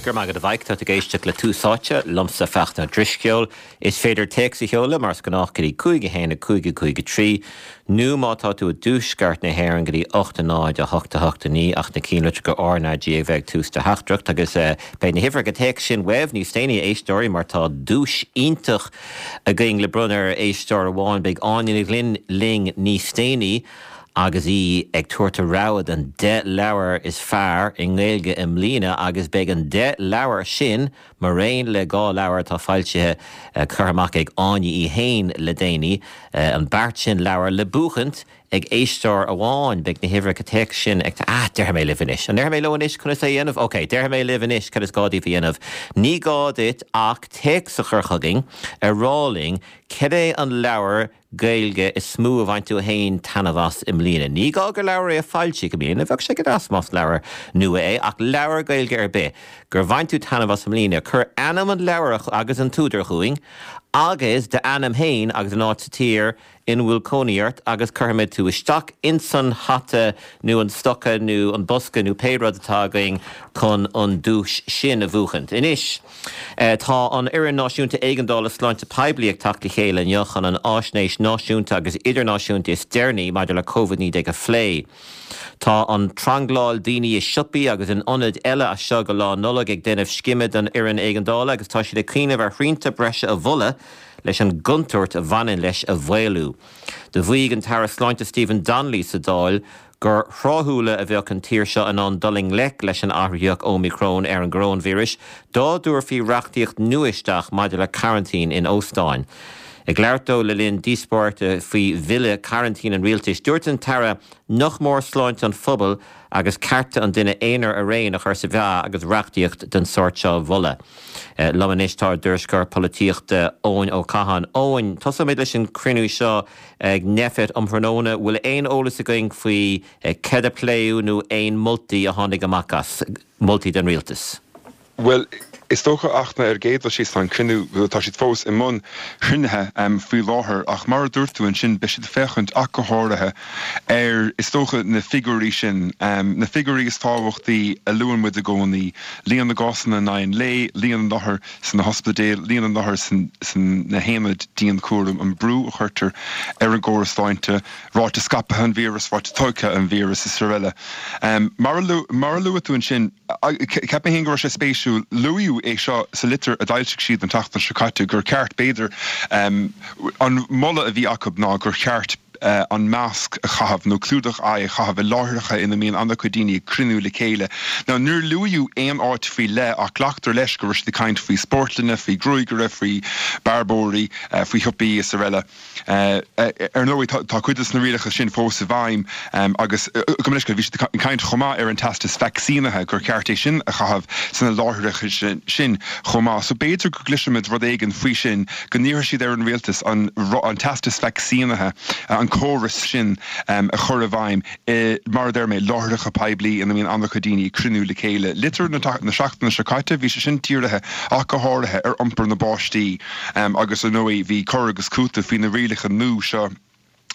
Go raibh maith agat a Mhaidhc, tá tú ag éisteacht le Tús Áite, liomsa Fachtna Ó Drisceoil. Is féidir téacs a sheoladh mar is gnách go dtí 5 1 5 5 3 nó má tá tú i dtuaisceart na hÉireann go dtí 8 0 8 8 9 ach na cinnlitreacha RnaG a bheith ag tús do theachtaireacht agus beidh na huimhreacha téacs sin uaibh níos déanaí a éisteoirí mar tá duais iontach againn le bronnadh ar éisteoir amháin. Beidh Áine Ní Ghlinn linn níos déanaí. agus í ag tabhairt a rogha den 10 leabhar is fearr i nGaeilge i mbliana agus beidh an 10 leabhar sin, maraon le 2 leabhar atá foilsithe, curtha amach ag Áine í fhéin le déanaí, an beart sin leabhar le buachaint ag éisteoir amháin. Beidh na huimhreacha téacs sin ag. Ah, déarfaidh mé libh anois. An ndéarfaidh mé leo anois conas é a dhéanamh? Ok, déarfaidh mé libh anois cad is gá daoibh a dhéanamh. Ní gá duit ach téacs a chur chugainn ag rá linn cad é an leabhar Gaeilge is mó a bhain tú fhéin taitneamh as i mbliana. Ní gá gur leabhar é a foilsíodh i mbliana, bheadh sé go deas más leabhar nua é, ach leabhar Gaeilge ar bith gur bhain tú taitneamh as i mbliana. Cuir ainm an leabhair agus an t-údar chugainn, agus d'ainm fhéin agus an áit sa tír ina bhfuil cónaí ort agus cuirfimid tú isteach insan hata nó an stoca nó an bosca nó pé rud atá againn chun an duais sin a bhuachaint. Anois. Tá an Fhoireann Náisiúnta Éigeandála Sláinte Poiblí ag teacht le chéile inniu chun an fháisnéis náisiúnta agus idirnáisiúnta is deireanaí maidir le Covid-19 a phlé. Tá an trangláil daoine i siopaí agus in ionaid eile as seo go Lá Nollag ag déanamh scime don fhoireann éigeandála agus tá siad ag cuimhneamh ar shrianta breise a mholadh leis an gcontúirt a bhaineann leis a mhaolú. Do mhaígh an tAire Sláinte Stephen Donnelly sa Dáil gur thráthúla a bheadh an tír seo in ann dul i ngleic leis an athraitheach Ómíocrón ar an gcoróinvíreas dá dtabharfaí reachtaíocht nua isteach maidir le coraintín in óstáin. Ag labhairt dó le linn díospóireachta faoi bhille coraintín an rialtais, dúirt an tAire nach mór sláinte an phobail agus cearta an duine aonair araon a chur sa mheá agus reachtaíocht den sórt seo á mholadh. Liom anois tá ár dtuairisceoir polaitíochta Eoin Ó Catháin. Eoin, tosóimid leis an cruinniú seo. Ag Nphet um thráthnóna, bhfuil aon eolas againn faoi céard a pléadh nó aon moltaí a tháinig amach as, moltaí don rialtas? Bhuel, is dócha a Fhachtna, ar an gcéad dul síos tá an cruinniú, tá siad fós i mbun cruinnithe faoi láthair ach mar a dúirt tú ansin beidh siad ag féachaint ach go háirithe ar, is dócha, na figiúirí sin, na figiúirí is tábhachtaí a luann muid i gcónaí, líon na gcásanna in aghaidh an lae, líon na n-othar sna hospidéil, líon na n-othar sna haonaid dianchúraim, an brú a chuirtear ar an gcóras sláinte, ráta scaipthe an víreas, ráta tolgtha an víreas is araile. Mar a luaigh tú ansin, cheap mé féin go raibh sé spéisiúil, luadh é seo sa litir a d'fhoilsigh siad an tseachtain seo caite, gur cheart, b'fhéidir, an moladh a bhí acu ná gur cheart, an masc a chaitheamh nó clúdach aghaidhe a chaitheamh i láithreacha ina mbíonn an-chuid daoine ag cruinniú le chéile. Now níor luaíodh aon áit faoi leith ach glactar leis go raibh siad ag caint faoi spórtlanna, faoi ghruaigaire, faoi bearbóirí, faoi shiopaí is araile. Ar ndóigh tá cuid de na rialacha sin fós i bhfeidhm agus gabh mo leithscéal, bhí siad ag caint chomh maith ar an teastas vacsaínithe, gur cheart é sin a chaitheamh sna láithreacha sin chomh maith. So b'fhéidir go gcloisfimid rud éigin faoi sin. go n-iarrfaidh siad ar an rialtas an teastas vacsaínithe, an córas sin a chur i bhfeidhm i, mar a deir mé, láithreacha poiblí ina mbíonn an-chuid daoine ag cruinniú le chéile. Litir na seachtaine seo caite, bhí sé sin dírithe ach go háirithe ar iompar na bpáistí agus, ar ndóigh, bhí cur agus cúiteamh faoi na rialacha nua seo.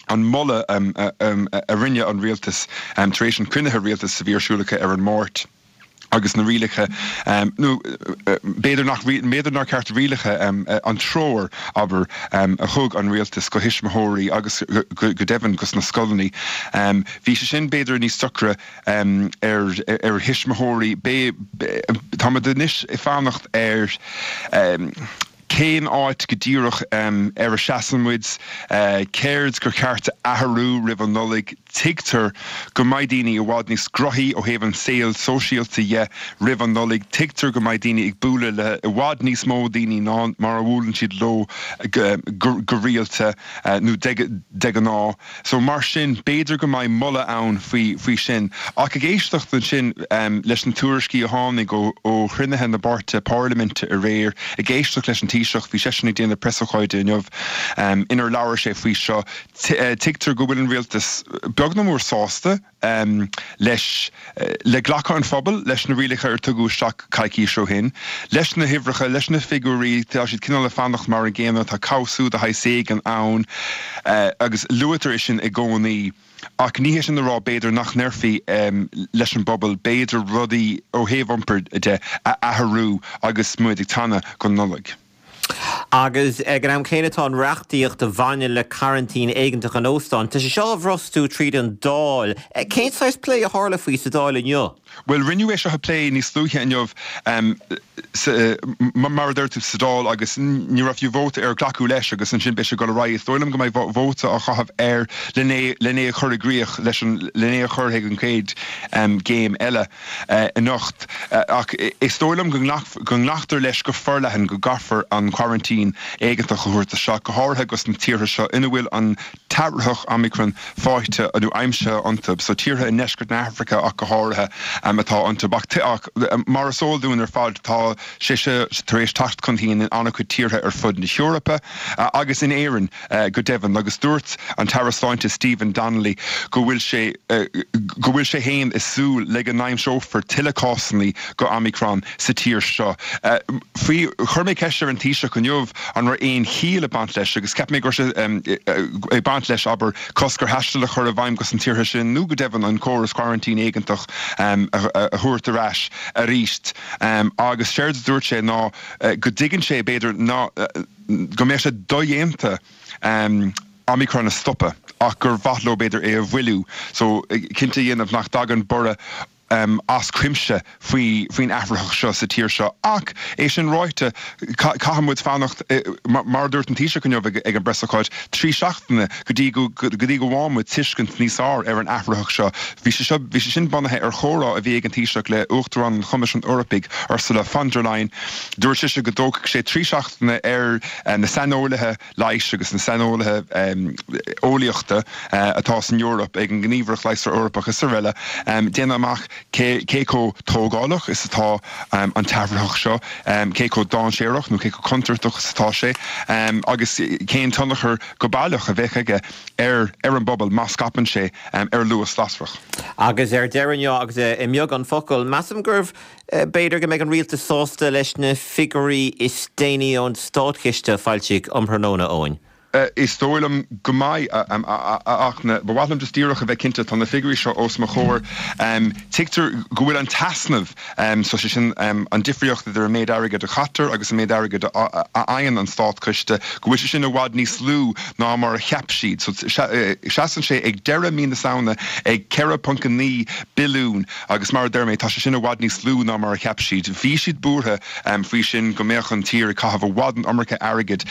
an moladh a rinne an rialtas tar éis an chruinnithe rialtais a bhí ar siúl acu ar an Máirt agus na rialacha, nó b'fhéidir nach, b'fhéidir nár cheart rialacha, an treoir, abair, a thug an rialtas go thuismitheoirí agus go deimhin go sna scoileanna. Bhí sé sin b'fhéidir níos deacra ar thuismitheoirí. Táimid anois ag fanacht ar. Cén áit go díreach ar a seasann muid? Céard gur cheart a athrú roimh an Nollaig? Tuigtear go mbeidh daoine i bhfad níos grothaí ó thaobh an saol sóisialta dhe roimh an Nollaig. Tuigtear go mbeidh daoine ag bualadh le i bhfad níos mó daoine ná mar a bhuaileann siad leo go rialta nó de ghnáth. So mar sin, b'fhéidir go mbeidh moladh ann faoi faoi sin. Ach ag éisteacht ansin leis na tuairiscí a tháinig ó ó chruinnithe na bpáirtithe parlaiminte aréir, ag éisteacht leis an Taoiseach, bhí seisean ag déanamh preasócáide inniu inar labhair sé faoi seo, tuigtear go bhfuil an rialtas beagnach. beag nó mór sásta leis, le glacadh an phobail leis na rialacha ar tugadh isteach coicís ó shin, leis na huimhreacha, leis na figiúirí, tá siad cineál ag fanacht mar an gcéanna, tá cobhsú de shaghas éigin ann agus luaitear é sin i gcónaí. Ach ní hé sin le rá, b'fhéidir, nach ndéarfaí leis an bpobal, b'fhéidir, rudaí ó thaobh iompair de a athrú agus muid ag teannadh don Nollaig. Agus ag an am céanna tá an reachtaíocht a bhaineann le coraintín éigeantach in óstáin, tá sé seo á bhrostú tríd an Dáil. Cén saghas plé a tharla faoi sa Dáil inniu? Bhuel, rinneadh é seo a phlé níos luaithe inniu, mar a deir tú, sa Dáil agus ní raibh fiú vóta ar glacadh leis agus ansin beidh sé ag dul ar aghaidh. Is dóigh liom go mbeidh vóta á chaitheamh air len é a chur i gcrích, leis an, len é a chur chuig an gcéad gcéim eile. anocht, ach is dóigh liom go nglactar leis go forleathan go gcaithfear an coraintín éigeantach a thabhairt isteach, go háirithe dos na tíortha seo ina bhfuil an t-athraitheach Omicron faighte nó aimsithe iontu, so tíortha i ndeisceart na hAfraice ach go háirithe atá iontu. Ach mar is eol dúinn ar fad, tá sé seo tar éis teacht chun cinn in an-chuid tíortha ar fud na hEorpa agus in Éirinn. go deimhin, agus dúirt an tAire Sláinte Stephen Donnelly go bhfuil sé go bhfuil sé féin ag súil le go n-aimseofar tuilleadh cásanna go Omicron sa tír seo. Faoi, chuir mé ceist ar an Taoiseach inniu an raibh aon chiall ag baint leis agus cheap mé go raibh sé ag baint leis, abair, cosc ar thaisteal a chur i bhfeidhm dos na tíortha sin nó go deimhin an córas coraintín éigeantach a thabhairt ar ais arís agus séard a dúirt sé ná go dtuigeann sé b'fhéidir ná go mbeadh sé dodhéanta Omicron a stopadh ach gur mhaith leo b'fhéidir é a mhoilliú so cinnte a dhéanamh nach dtagann borradh as cuimse faoi faoin athraitheach seo sa tír seo. Ach é sin ráite, caithfidh muid fanacht, mar a dúirt an Taoiseach inniu ag an bpreasócáid, 3 seachtaine go dtí go go dtí go bhfaighidh muid tuiscint níos fearr ar an athraitheach seo. Bhí sé seo bhí sé sin bunaithe ar chomhrá a bhí ag an Taoiseach le Uachtarán an Choimisiúin Eorpaigh, Ursula von der Leyen. Dúirt sise go dtógfadh sé 3 seachtaine ar na saineolaithe leighis agus na saineolaithe eolaíochta atá san Eoraip, ag an nGníomhaireacht Leigheasra Eorpach is araile, déanamh amach cé chomh tógálach is atá an t-athraitheach seo, cé chomh dainséarach nó cé chomh contúirteach is atá sé agus cén tionchar go baileach a bheadh aige ar ar an bpobal má scaipeann sé ar luas lasrach. Agus ar deireadh inniu, agus i mbeagán focal, measaim gurbh B'fhéidir go mbeidh an rialtas sásta leis na figiúirí is déanaí ón státchiste a foilsíodh um thráthnóna, Eoin. Is dóigh liom go mbeidh, ach ba mhaith liom just díreach a bheith cinnte, tá na figiúirí seo os mo chomhair. Tuigtear go bhfuil an t-easnamh, so sé sin an difríocht idir an méid airgid a chaitear agus an méid airgid a fhaigheann an státchiste, go bhfuil sé sin i bhfad níos lú ná mar a cheap siad. So seasann sé ag deireadh mí na Samhna ag 4.9 billiún. Agus mar a deir mé, tá sé sin i bhfad níos lú ná mar a cheap siad. Bhí siad buartha faoi sin, go mbeadh an tír ag caitheamh i bhfad an iomarca airgid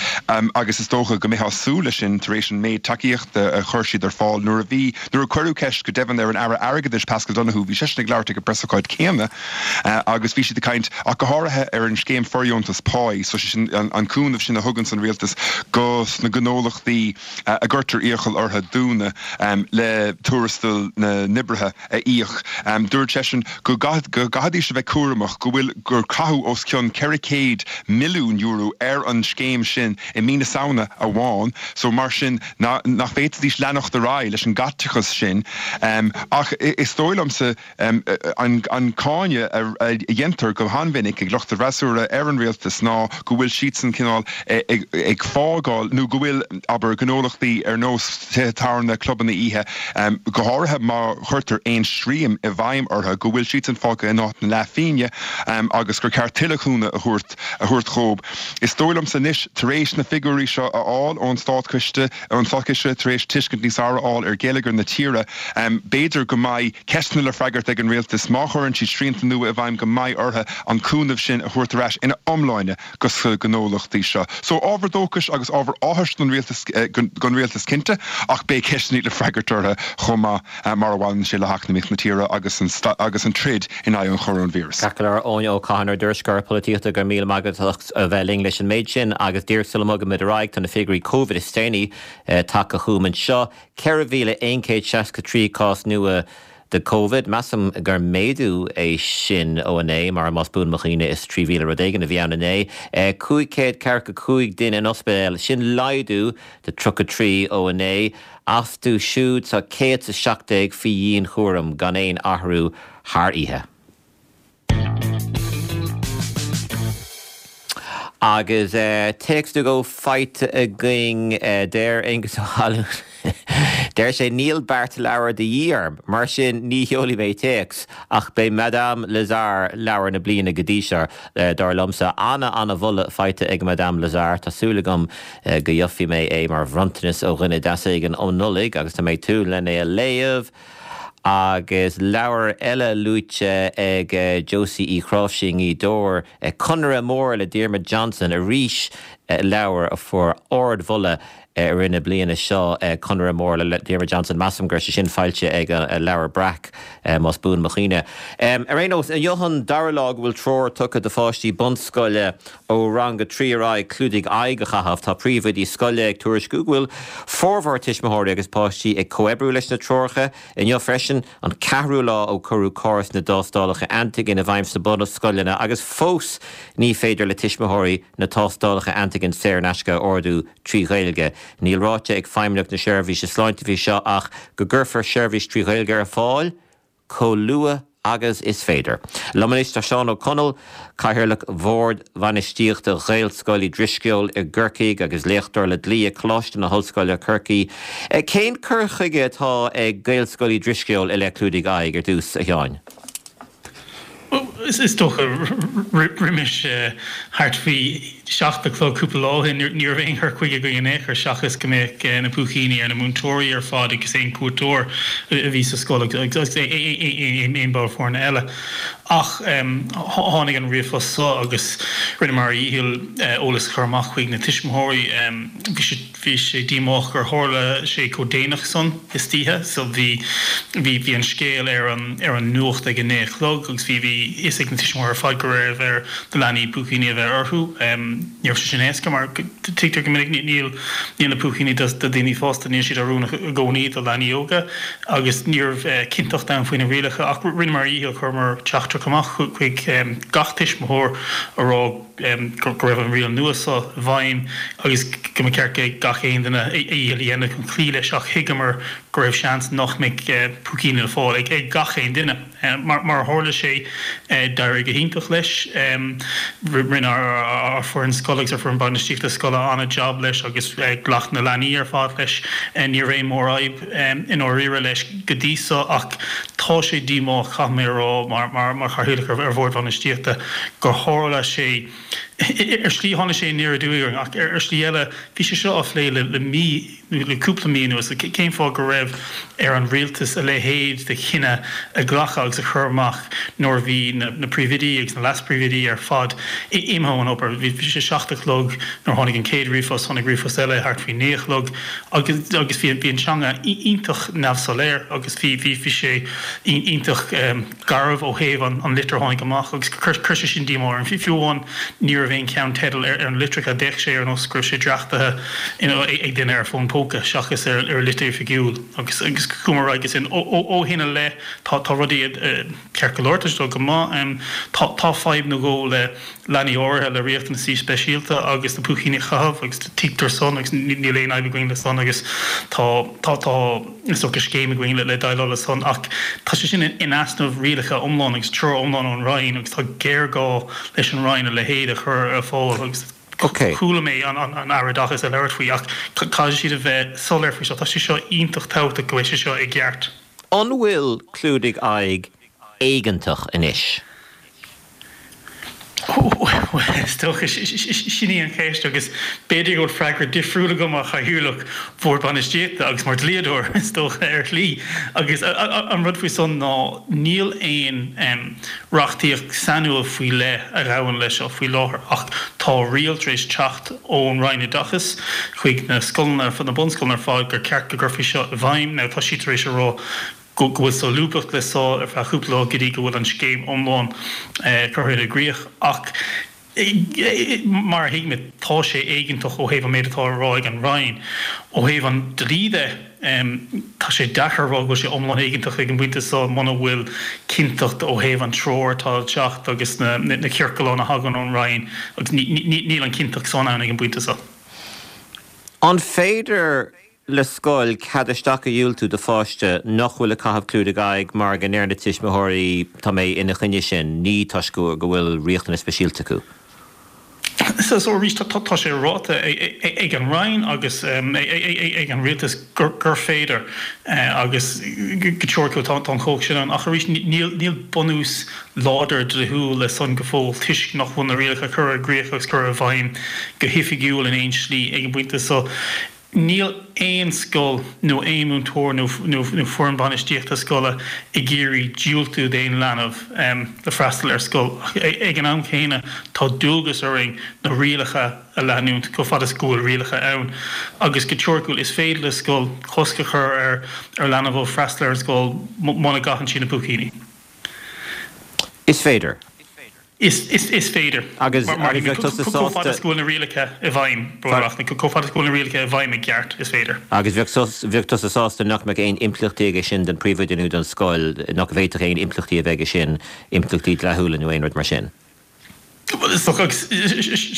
agus is dócha go mbeifeá ag súil leis sin tar éis an méid tacaíochta a chuir siad ar fáil nuair a bhí, nuair a cuireadh ceist go deimhin ar an Aire Airgeadais Paschal Donohoe, bhí seisean ag labhairt ag an bpreasócáid céanna agus bhí siad ag caint ach go háirithe ar an scéim fordheontas páí, so sé sin an cúnamh sin a thuganns an rialtas go sna gnólachtaí a gcuirtear iachall orthu dúnadh le tuarastal na n-oibrithe. a íoc. Dúirt seisean go gcaithfidís a bheith cúramach go bhfuil gur caitheadh os cionn €400 milliún ar an scéim sin i mí na Samhna amháin so mar sin nach bhféadfaidís leanacht ar aghaidh leis an gcaiteachas sin. Ach is dóigh liomsa an cáineadh a dhéantar go han-mhinic ag lucht an fhreasúra ar an rialtas ná go bhfuil siadsan cineál ag fágáil nó go bhfuil, abair, gnólachtaí ar nós tithe tábhairne, clubanna oíche, go háirithe má chuirtear aon srian i bhfeidhm orthu, go bhfuil siadsan fágtha in áit na leathphingne agus gur ceart tuilleadh cúnamh a thabhairt a thabhairt dhóibh. Is dóigh liomsa anois, tar éis na figiúirí seo a fháil ón Státchiste, ón Státchiste, tar éis tuiscint níos fearr a fháil ar gheilleagar na tíre, b'fhéidir go mbeidh ceisteanna le freagairt ag an rialtas má chuireann siad srianta nua i bhfeidhm go mbeidh orthu an cúnamh sin a thabhairt ar ais ina iomláine. go sna gnólachtaí seo. So, ábhar dóchais agus ábhar áthais don rialtas, don rialtas cinnte, ach beidh ceisteanna le freagairt orthu chomh maith mar a bhaineann sé le heacnamaíocht na tíre agus an agus an troid in aghaidh an choróinvíris. Ceart go leor, Eoin Ó Catháin, ár dtuairisceoir polaitíochta, go raibh míle maith agat as a bheith linn leis an méid sin agus díreach sula mbogaimid ar aghaidh, tá na figiúirí Covid is déanaí tagtha chugam anseo, 4,163 cás nua. de Covid. Measaim gur méadú é sin ó inné, mar más buan mo chuimhne is 3,000 rud éigin a bhí ann inné. 545 duine in ospidéal, sin laghdú de 33 ó inné. Astu siúd tá 117 faoi dhianchúram, gan aon athrú thar oíche. Agus téacs nó dhó faighte againn, deir Aengus Ó hAlúin, deir sé, Níl beart leabhar de dhíth orm, mar sin ní sheolfaidh mé téacs, ach b'é Madame Lazare leabhar na bliana go dtí seo, dar liomsa. Ana, ana-mholadh faighte ag Madame Lazare. Tá súil agam go gheobhaidh mé é mar bhronntanas ó dhuine deas éigin um Nollaig agus tá mé ag tnúth len é a léamh. Agus leabhar eile luaite ag Josie Uí Chráimhsí i nGaoth Dobhair, Conaire Mór le Diarmuid Johnson, arís leabhar a fuair ardmholadh i rith na bliana seo, Conaire Mór le Diarmuid Johnson, measaim go raibh sé sin foilsithe ag Leabhar Breac, más buan mo chuimhne. Ar aon nós, inniu an dara lá go bhfuil treoir tugtha do pháistí bunscoile ó rang 3 ar aghaidh clúdaigh aghaidh a chaitheamh. Tá príomhoidí scoile ag tuairisciú go bhfuil formhór tuismitheoirí agus páistí ag comhoibriú leis na treoracha. Inniu freisin, an ceathrú lá ó cuireadh córas na dtástálacha antaigin i bhfeidhm sna bunscoileanna agus fós ní féidir le tuismitheoirí na tástálacha antaigin saor in aisce a ordú trí Ghaeilge. Níl ráite ag Feidhmeannacht na Seirbhíse Sláinte faoi seo ach go gcuirfear seirbhís trí Ghaeilge ar fáil. chomh luath agus is féidir. Liom anois tá Seán Ó Conaill, Cathaoirleach Bhord Bhainistíochta Ghaelscoil Uí Drisceoil i gCorcaigh agus léachtóir le dlí ag Coláiste na hOllscoile, Corcaigh. Cén cur chuige atá ag Gaelscoil Uí Drisceoil i leith clúdaigh aghaidh ar dtús, a Sheáin? Is dócha roimis thart faoi sheacht a chlog cúpla lá ó shin ní raibh aon chur chuige againn in aon chor seachas go mbeadh na púicíní ar na múinteoirí ar fad agus aon cuairteoir a bhí sa scoil agus aon ball foirne eile. Ach tháinig an ríomhphost seo agus rinneamar ár dhícheall eolas a chur amach chuig na tuismitheoirí. Bhí sé. Bhí sé díomách gur tharla sé chomh déanach san istoíche so bhí bhí bhí an scéal ar an ar an nuacht ag a naoi a chlog agus bhí bhí fhios ag na tuismitheoirí ar fad go raibh ar na leanaí púicíní a bheith orthu. Ní raibh sé sin éasca mar tuigtear go minic níl níl na púicíní do do dhaoine fásta níl siad oiriúnach i gcónaí do leanaí óga agus ní raibh cinnteacht ann faoi na rialacha ach rinneamar ár dhícheall chuireamar teachtaireacht amach chuig gach tuismitheoir a rá go raibh an riail nua seo i bhfeidhm agus go mba cheart gach aon duine a dhícheall a dhéanamh chun cloí leis ach thuigeamar go raibh seans nach mbeadh púicíní le fáil ag gach aon duine. Mar a tharla sé, d'éirigh go hiontach leis. Rinne ár foireann scoile agus ár foireann bainistíochta scoile an-jab leis agus ghlac na leanaí ar fad leis. Ní raibh aon mhórfhadhb i ndáiríre leis go dtí seo ach tá sé díomách, caithfidh mé a rá, mar chathaoirleach ar bhord bhainistíochta, gur tharla sé, ar shlí tháinig sé aniar aduaidh orainn ach ar shlí eile bhí sé seo á phlé le mí nó le cúpla mí anuas. Cén fáth go raibh ar an rialtas a leithéid de chinneadh a ghlacadh agus a chur amach nuair a bhí na príomhoidí agus na leas-phríomhoidí ar fad imithe ón obair? Bhí sé 7 a chlog nuair a tháinig an chéad ríomhphost, tháinig ríomhphost eile thart faoi 9 a chlog agus agus bhí an teanga iontach neamhsoiléir agus bhí bhí sé iontach garbh ó thaobh an litir a tháinig amach agus chuir sé sin díomá orm. Fiú amháin ní raibh aon cheannteideal ar na litreacha, d'fhéach sé ar nós go raibh sé dréachtaithe ag duine ar fón póca seachas ar litir oifigiúil agus agus chuamar ar aghaidh ansin. Ó shin i leith tá rudaí ceart go leor, tá sé ag dul go maith. Tá fadhb nó dhó le leanaí áirithe le riachtanaisí speisialta agus na púicíní a chaitheamh agus tuigtear san agus níl aon fhadhb againn le san agus tá tá tá is dócha scéim againn le déileáil le san ach tá sé sin in easnamh rialacha iomlán agus treoir iomlán ón Roinn agus tá géarghá leis an Roinn a leithéid a chur ar fáil agus chuala mé an an Aire Oideachais ag labhairt faoi ach caithfidh siad a bheith soiléir faoi seo tá sé seo iontach tábhachtach go bhfuil sé seo i gceart. An bhfuil clúdaigh aghaidh éigeantach anois? Bhuel, is dócha, sin í an cheist agus b'fhéidir go bhfuil freagra difriúil agam mar chathaoirleach Bhord Bainistíochta agus mar dhlíodóir, is dócha, ar shlí. Agus an rud faoi san ná níl aon reachtaíocht sainiúil faoi leith a ghabhann leis seo faoi láthair ach tá riail tar éis teacht ón Roinn Oideachais chuig na scoileanna, na bunscoileanna ar fad gur ceart go gcuirfí seo i bhfeidhm. Now tá siad tar éis a rá go bhfuil solúbthacht le so ar feadh cúpla lá go dtí go bhfuil an scéim iomlán curtha i gcrích ach mar a thuigimid tá sé éigeantach ó thaobh an méid atá á rá ag an Roinn. Ó thaobh an dlí de. Tá sé deacair a rá go bhfuil sé iomlán éigeantach ag an bpointe seo muna bhfuil cinnteacht ó thaobh an treoir atá ag teacht agus na ciorcláin a thagann ón Roinn agus níl an chinnteacht san ann ag an bpointe seo. An féidir le scoil cead isteach a dhiúltú do pháiste nach bhfuil ag caitheamh clúdaigh aghaidh mar go ndeir na tuismitheoirí tá mé ina choinne sin, ní toisc go bhfuil riachtanais speisialta acu? So arís, tá sé ráite ag an Roinn agus ag an Rialtas gur féidir agus go teoiriciúil tá an chumhacht sin ann ach arís níl bunús láidir dlíthiúil le san go fóill toisc nach bhfuil na rialacha curtha i gcrích agus curtha i bhfeidhm go hoifigiúil in aon slí ag an bpointe so. Níl aon scoil nó aon mhúinteoir nó foireann bainistíochta scoile ag iarraidh diúltú d'aon leanbh le freastal ar scoil ach ag an am chéanna tá dualgas orainn na rialacha a leanúint chomh fada is go bhfuil rialacha ann agus go teoiriciúil is féidir le scoil cosc a chur ar leanbh ó freastal ar an scoil muna gcaitheann siad na púicíní. Is féidir. Is féidir. Agus bheadh tusa sásta. Chomh fada is go bhfuil na rialacha i bhfeidhm, chomh fada is go bhfuil na rialacha i bhfeidhm i gceart, is féidir. Agus bheadh tusa sásta nach mbeadh aon impleachtaí aige sin don phríomhoide nó don scoil, nach bhféadfadh aon impleachtaí a bheith aige sin, impleachtaí dleathúla nó aon rud mar sin? Bhuel, is dócha, agus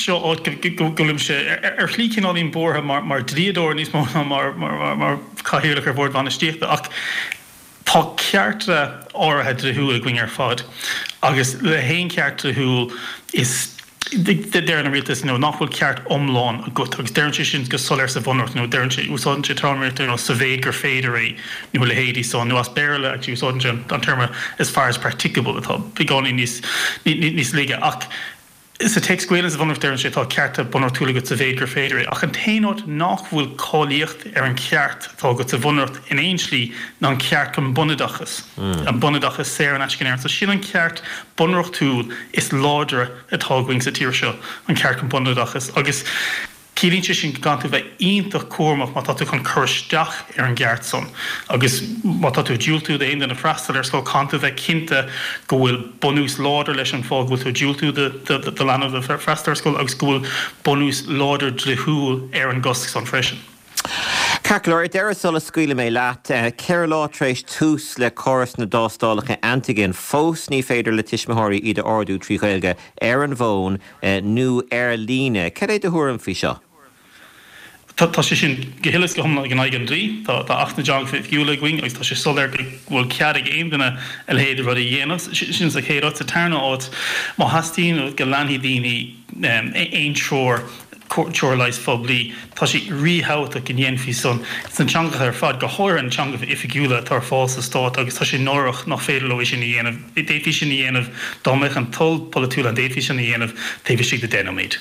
seo áit go bhfuilimse ar shlí cineáilín buartha mar dhlíodóir níos mó ná mar chathaoirleach ar bhord bainistíochta, ach Tá cearta áirithe dlíthiúil againn ar fad agus le haon cheart dlíthiúil is deireann an rialtas nó nach bhfuil ceart iomlán agat agus deireann sé sin go soiléir sa bhunreacht nó deireann sé, úsáideann sé téarmaíocht ar nós sa mhéid gur féidir é nó a leithéidí san nó as Béarla actually úsáideann sé an téarma as far as practicable atá beagáinín níos níos laige ach Sa téacs Gaelainne sa Bhunreacht deireann sé tá cearta bunreachtúla agat sa mhéid gur féidir é, ach an t-aon áit nach bhfuil cáilíocht ar an cheart atá agat sa Bhunreacht in aon slí ná an ceart chun bunoideachas, an bunoideachas saor in aisce in Éirinn. So sin an ceart bunreachtúil is láidre atá againn sa tír seo, an ceart chun bunoideachas. Agus. Ciallaíonn sé sin go gcaithfidh tú bheith iontach cúramach má tá tú chun cur isteach ar an gceart san agus má tá tú ag diúltú d'aon duine freastal ar scoil, caithfidh tú bheith cinnte go bhfuil bunús láidir leis an fáth go bhfuil tú ag diúltú do leanbh le freastal ar scoil agus go bhfuil bunús láidir dlíthiúil ar an gcosc san freisin. Ceart go leor, ar deireadh sula scaoilfidh mé leat, 4 lá tar éis tús le córas na dtástálacha antigen, fós ní féidir le tuismitheoirí iad a ordú trí Ghaeilge ar an bhfón. nó ar líne. Cad é do thuairim faoi seo? Tá sé sin go huile is go hiomlán in aghaidh an dlí. Tá Acht na dTeangacha Oifigiúla againn agus tá sé soiléir go bhfuil cead ag aon duine a leithéid de rud a dhéanamh. Sin sa chéad áit. Sa tarna áit, má theastaíonn go leanfaidh daoine aon treoir, treoir leighis phoiblí, tá sé ríthábhachtach go ndéanfaí san sna teangacha ar fad, go háirithe na teangacha oifigiúla atá ar fáil sa stát agus tá sé náireach nach féidir leo é sin a dhéanamh. D'fhéadfaí sin a dhéanamh dá mbeadh an toil polaitiúil ann, d'fhéadfaí sin a dhéanamh taobh istigh de 10 nóiméad.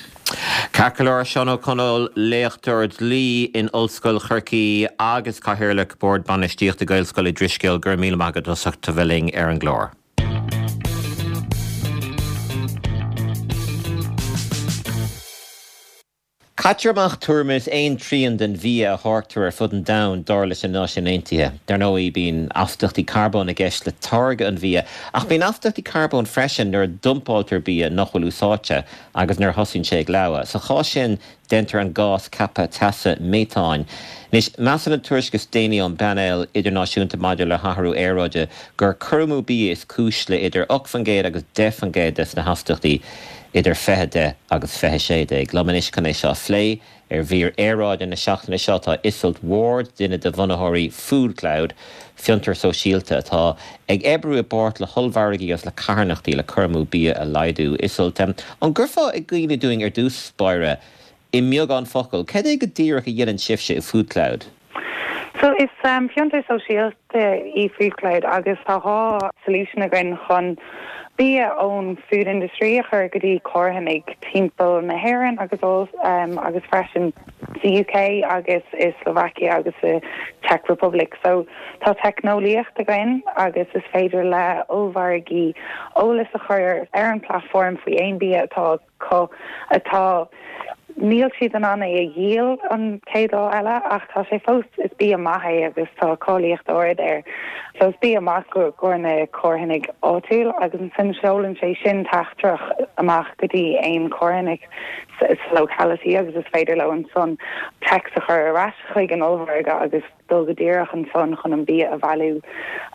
Ceart go leor, Seán Ó Conaill, léachtóir dlí in Ollscoil Chorcaí agus Cathaoirleach Bord Bainistíochta Gaelscoil Uí Drisceoil, go raibh míle maith agat as ucht a bheith linn ar an gclár. Caitear amach tuairim is aon trian den bhia a tháirgtear ar fud an domhain, dar leis na Náisiúin Aontaithe. Dar ndóigh, bíonn astaíochtaí carbóin i gceist le táirgeadh an bhia, ach bíonn astaíochtaí carbóin freisin nuair a dumpáiltear bia nach bhfuil úsáidte agus nuair a thosaíonn sé ag leabhadh. Sa chás sin, déantar an gás ceaptha teasa méatáin. Anois, measann an tuairisc is déanaí ón bPainéal Idirnáisiúnta maidir le hAthrú Aeráide gur cur amú bia is cúis le idir 8% agus 10% des na hastaíochtaí idir 2010 agus 2016. Liom anois chun é seo a phlé ar mhír aeráide na seachtaine seo tá Iseult Ward, duine de bhunaitheoirí FoodCloud, fiontar sóisialta atá ag oibriú i bpáirt le hollmhargaí agus le carthanachtaí le cur amú bia a laghdú. Iseult, an gcuirfeá i gcuimhne dúinn ar dtús báire, i mbeagán focal, cad é go díreach a dhéanann sibhse i FoodCloud? So is fiontar sóisialta í FoodCloud agus tá 2 solution againn chun bia ón food industry a chur go dtí carthanaigh timpeall na hÉireann agus agus freisin sa UK agus i Slovakia agus sa Czech Republic. So tá teicneolaíocht againn agus is féidir le ollmhargaí eolas a chur ar an platform faoi aon bia atá acu atá. Níl siad in ann é a dhíol an chéad lá eile ach tá sé fós, is bia maith é agus tá cáilíocht ard air. So is bia maith i gcomhair na carthanaigh áitiúil agus ansin seolann sé sin teachtaireacht amach go dtí aon charthanaigh sa locality agus is féidir leo ansan text a chur ar ais chuig an ollmhargadh agus dul go díreach ansan chun an bia a bhailiú.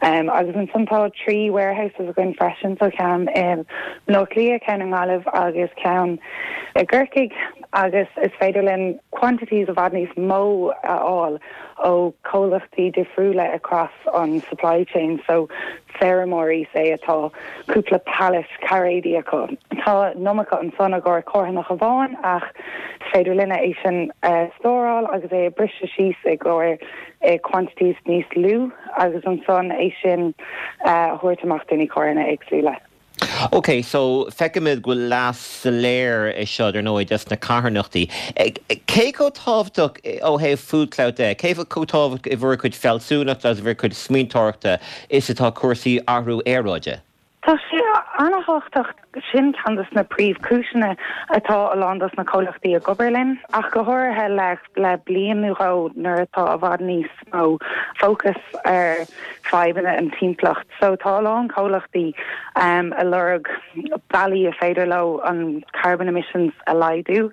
Agus ansan tá 3 warehouses againn freisin, so ceann i mBleá Cliath, ceann i nGaillimh agus ceann i gCorcaigh agus is féidir linn quantities i bhfad níos mó a fháil ó comhlachtaí difriúla across an supply chain, so feirmeoirí say atá cúpla pallet cairéidí acu. Tá an iomarca ansan i gcomhair carthanach amháin ach is féidir linne é sin a stóráil agus é a briseadh síos i gcomhair quantities níos lú agus ansan é sin a thabhairt amach do na carthanaigh éagsúla. Ok, so feicimid go bhfuil leas soiléir i seo, dar ndóigh, dos na carthanachtaí. Cé chomh tábhachtach ó thaobh FoodClout de, cé chomh tábhachtach i bhur gcuid fealsúnachta agus i bhur gcuid smaointeoireachta is atá cúrsaí athrú aeráide? Tá sé ana-thábhachtach. Sin ceann dos na príomhchúiseanna atá a lán dos na comhlachtaí ag obair linn, ach go háirithe le le bliain nó dhó nuair atá i bhfad níos mó fócas ar fadhbanna an timpeallacht. So tá a lán comhlachtaí ag lorg bealaí a féidir leo an carbon emissions a laghdú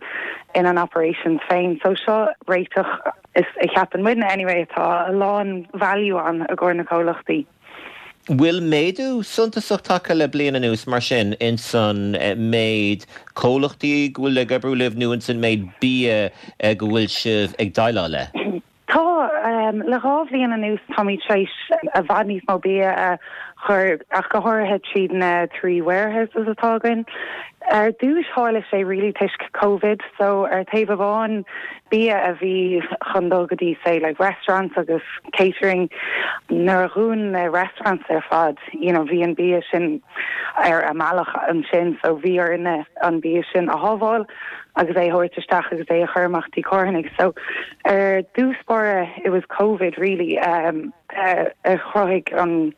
ina n-operations féin. So seo réiteach is a cheapann muidne anyway atá a lán value ann i gcomhair na comhlachtaí. Bhfuil méadú suntasach tagtha le bliain anuas, mar sin, ins an méid comhlachtaí go bhfuil ag oibriú libh nó ins an méid bia go bhfuil sibh ag déileáil le? Tá. Le 2 bhliain anuas táimid tar éis i bhfad níos mó bia a chur, ach go háirithe tríd na 3 warehouses atá againn. Ar dtúis tharla sé really toisc Covid, so ar taobh amháin bia a bhí chun dul go dtí say like restaurants agus catering nuair a dhún na restaurants ar fad you know bhí an bia sin ar a mbealach ansin so bhí orainne an bia sin a shábháil agus é a thabhairt isteach agus é a chur amach dtí carthanaigh so ar dtús báire it was covid really um, a chruthaigh an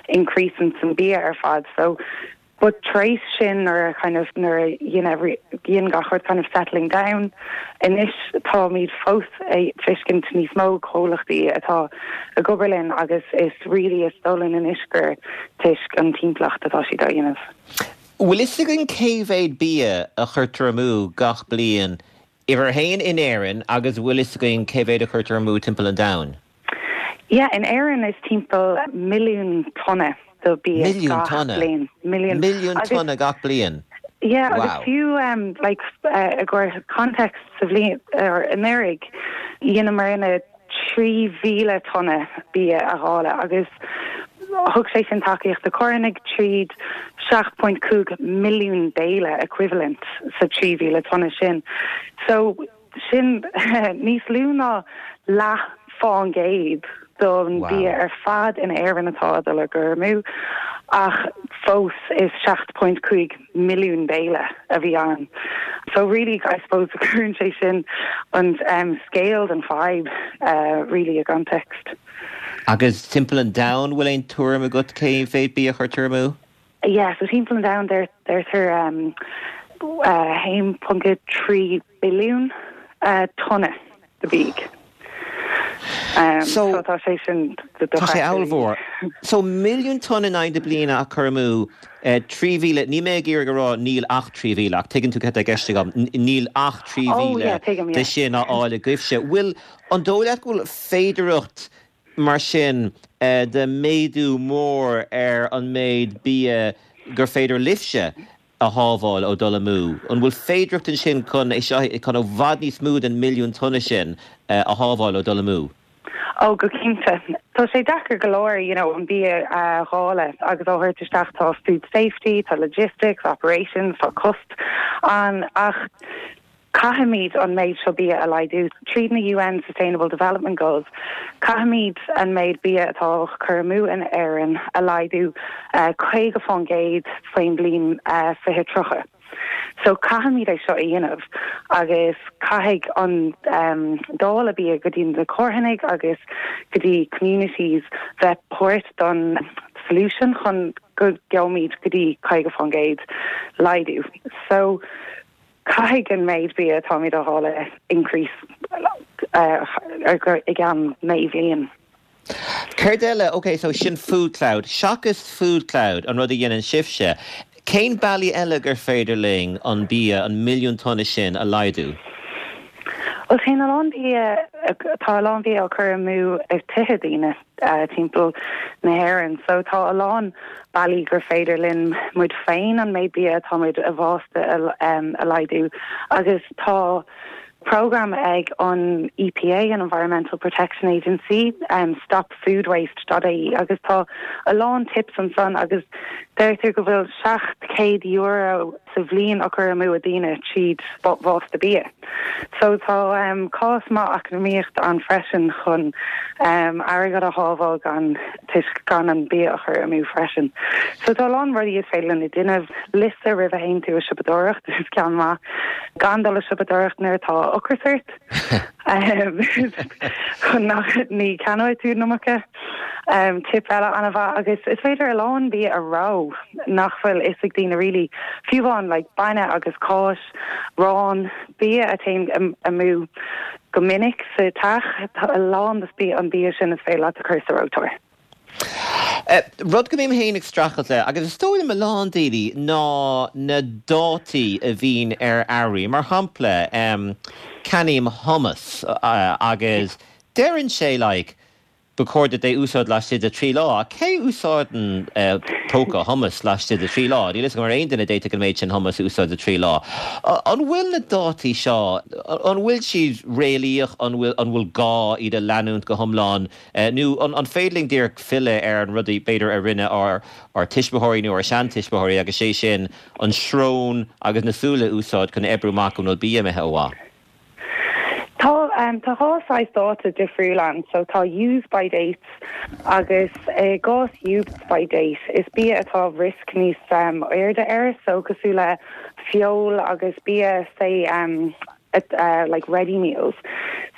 increase in san bia ar fad so But tar éis sin nuair a kind of nuair a dhein every dhein gach rud kind of settling down anois táimid fós ag feiscint níos mó comhlachtaí atá ag obair linn agus is really is dóigh linn anois gur toisc an timpeallacht atá siad á dhéanamh. Bhfuil fhios againn cé mhéad bia a chuirtear amú gach bliain, uimhir a haon, in Éirinn agus bhfuil fhios againn cé mhéad a chuirtear amú timpeall an domhain? Yeah, in Éirinn is timpeall milliún tonna de bia Milliún gach tonna? bliain. Milliún. Milliún Agus tonna gach bliain? yeah, agus Wow. fiú um, like uh, i gcomhair context sa bhliain or anuraidh, dheineamarna 3,000 tonna bia a dháileadh agus thug sé sin tacaíocht do carthanaigh tríd 7.5 milliún béile equivalent sa 3,000 tonna sin. So Sin níos lú ná leath fán gcéad don bhia ar fad in Éirinn atá ag dul ar gcur amú, ach fós is 7.5 milliún béile a bhí ann. So really, I suppose, cuireann sé sin an scale den fadhb really i gcontext. Agus timpeall an domhain, bhfuil aon tuairim agat cé mhéad bia a chuirtear amú? Yeah, so timpeall an domhain deirtear 1.3 billiún tonna de bhia. So tá sé sin Tá sé ollmhór. So milliún tonna in aghaidh na bliana á cur amú, 3,000, níl mé ag iarraidh a rá níl ach 3,000 ach tuigeann tú cad tá i gceist agam, níl ach 3,000 de sin á fháil agaibhse. Bhfuil, an dóigh leat go bhfuil féidearthacht mar sin de méadú mór ar an méid bia gur féidir libhse a shábháil ó dul amú. An bhfuil féidearthacht ansin chun é seo, chun i bhfad níos mó den milliún tonna sin a shábháil ó dul amú? Ó, go cinnte. Tá sé deacair go leor, you know, an bia a dháileadh agus á thabhairt isteach. Tá food safety, tá logistics, operations, tá cost ann ach Caithfimid an méid seo bia a laghdú. Tríd na UN Sustainable Development Goals, caithfimid an méid bia atá á chur amú in Éirinn a laghdú 50% faoin bliain 2030. So caithfimid é seo a dhéanamh agus caithfidh an dáileadh bia go dtí na carthanaigh agus go dtí communities bheith páirt don solution chun go gheobhaimid go dtí 50% laghdú. So. Caithfidh an méid bia atáimid a dháileadh increase i gceann 9 bhliain. Céard eile, ok so sin FoodCloud, seachas FoodCloud, an rud a dhéanann sibhse, cén bealaí eile gur féidir linn an bia, an milliún tonna sin a laghdú? Bhuel téann a lán bia, tá a lán bia á cur amú i tithe daoine timpeall na hÉireann so tá a lán bealaí gur féidir linn muid féin an méid bia atáimid a bhásta a laghdú agus tá Program ag an EPA, an Environmental Protection Agency, stopfoodwaste dot ie agus tá a lán tips ansan agus deirtear go bhfuil €700 sa bhliain á cur amú ag daoine tríd bhásta bia. So tá cás maith eacnamaíocht ann freisin chun airgead a shábháil gan toisc gan an bia a chur amú freisin. So tá a lán rudaí is féidir linn a déanamh. Liosta roimh a théann tú a siopadóireacht is ceann maith. Gan dul a siopadóireacht nuair atá ocras ort. Chun nach ní ceannóidh tú an iomarca. Tip eile an-mhaith agus is féidir a lán bia a reo nach bhfuil fhios ag daoine really. Fiú amháin like bainne agus cáis, arán, bia a théann amú go minic sa teach, tá a lán de an bia sin is féidir leat a chur sa reoiteoir. Rud go mbím féin ag streachailt le, agus is dóigh liom a lán daoine, ná na dátaí a bhíonn ar earraí. Mar shampla, ceannaím hummus agus deireann sé like Ba chóir duit é úsáid laistigh de thrí lá. Cé úsáideann póca hummus laistigh de thrí lá? Níl fhios agam ar aon duine a d'fhéadfadh an méid sin hummus a úsáid i dtrí lá. An bhfuil na dátaí seo, an bhfuil siad réalaíoch, an bhfuil, an bhfuil gá iad a leanúint go hiomlán? Nó an féidir linn díreach filleadh ar an rud b'fhéidir a rinne ár tuismitheoirí nó ár seantuismitheoirí agus sé sin an srón agus na súile a úsáid chun oibriú amach an bhfuil bia imithe ó mhaith? Tá, tá dhá saghas dáta difriúil ann. So tá use by dates agus i gcás use by date is bia atá risk níos airde air so cosúil le feoil agus bia say like ready meals.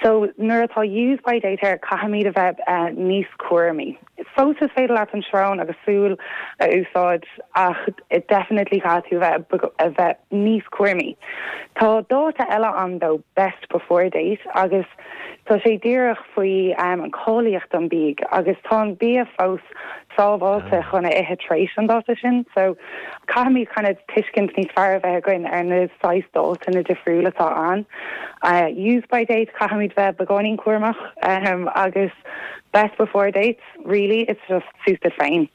So nuair atá use by date air caithfimid a bheith níos cúramaí. Fós is féidir leat an srón agus súil a úsáid ach definitely caithfidh tú bheith a bheith níos cúramaí. Tá dáta eile ann though, best before date, agus tá sé díreach faoi an cáilíocht an bídh agus tá an bia fós sábháilte chun a ithe tar éis an dáta sin so caithfimid kind of tuiscint níos fearr a bheith againn ar na saghas dáta difriúil atá ann. Use by date caithfimid bheith beagáinín cúramach agus Best before dates, really it's just suas duit féin.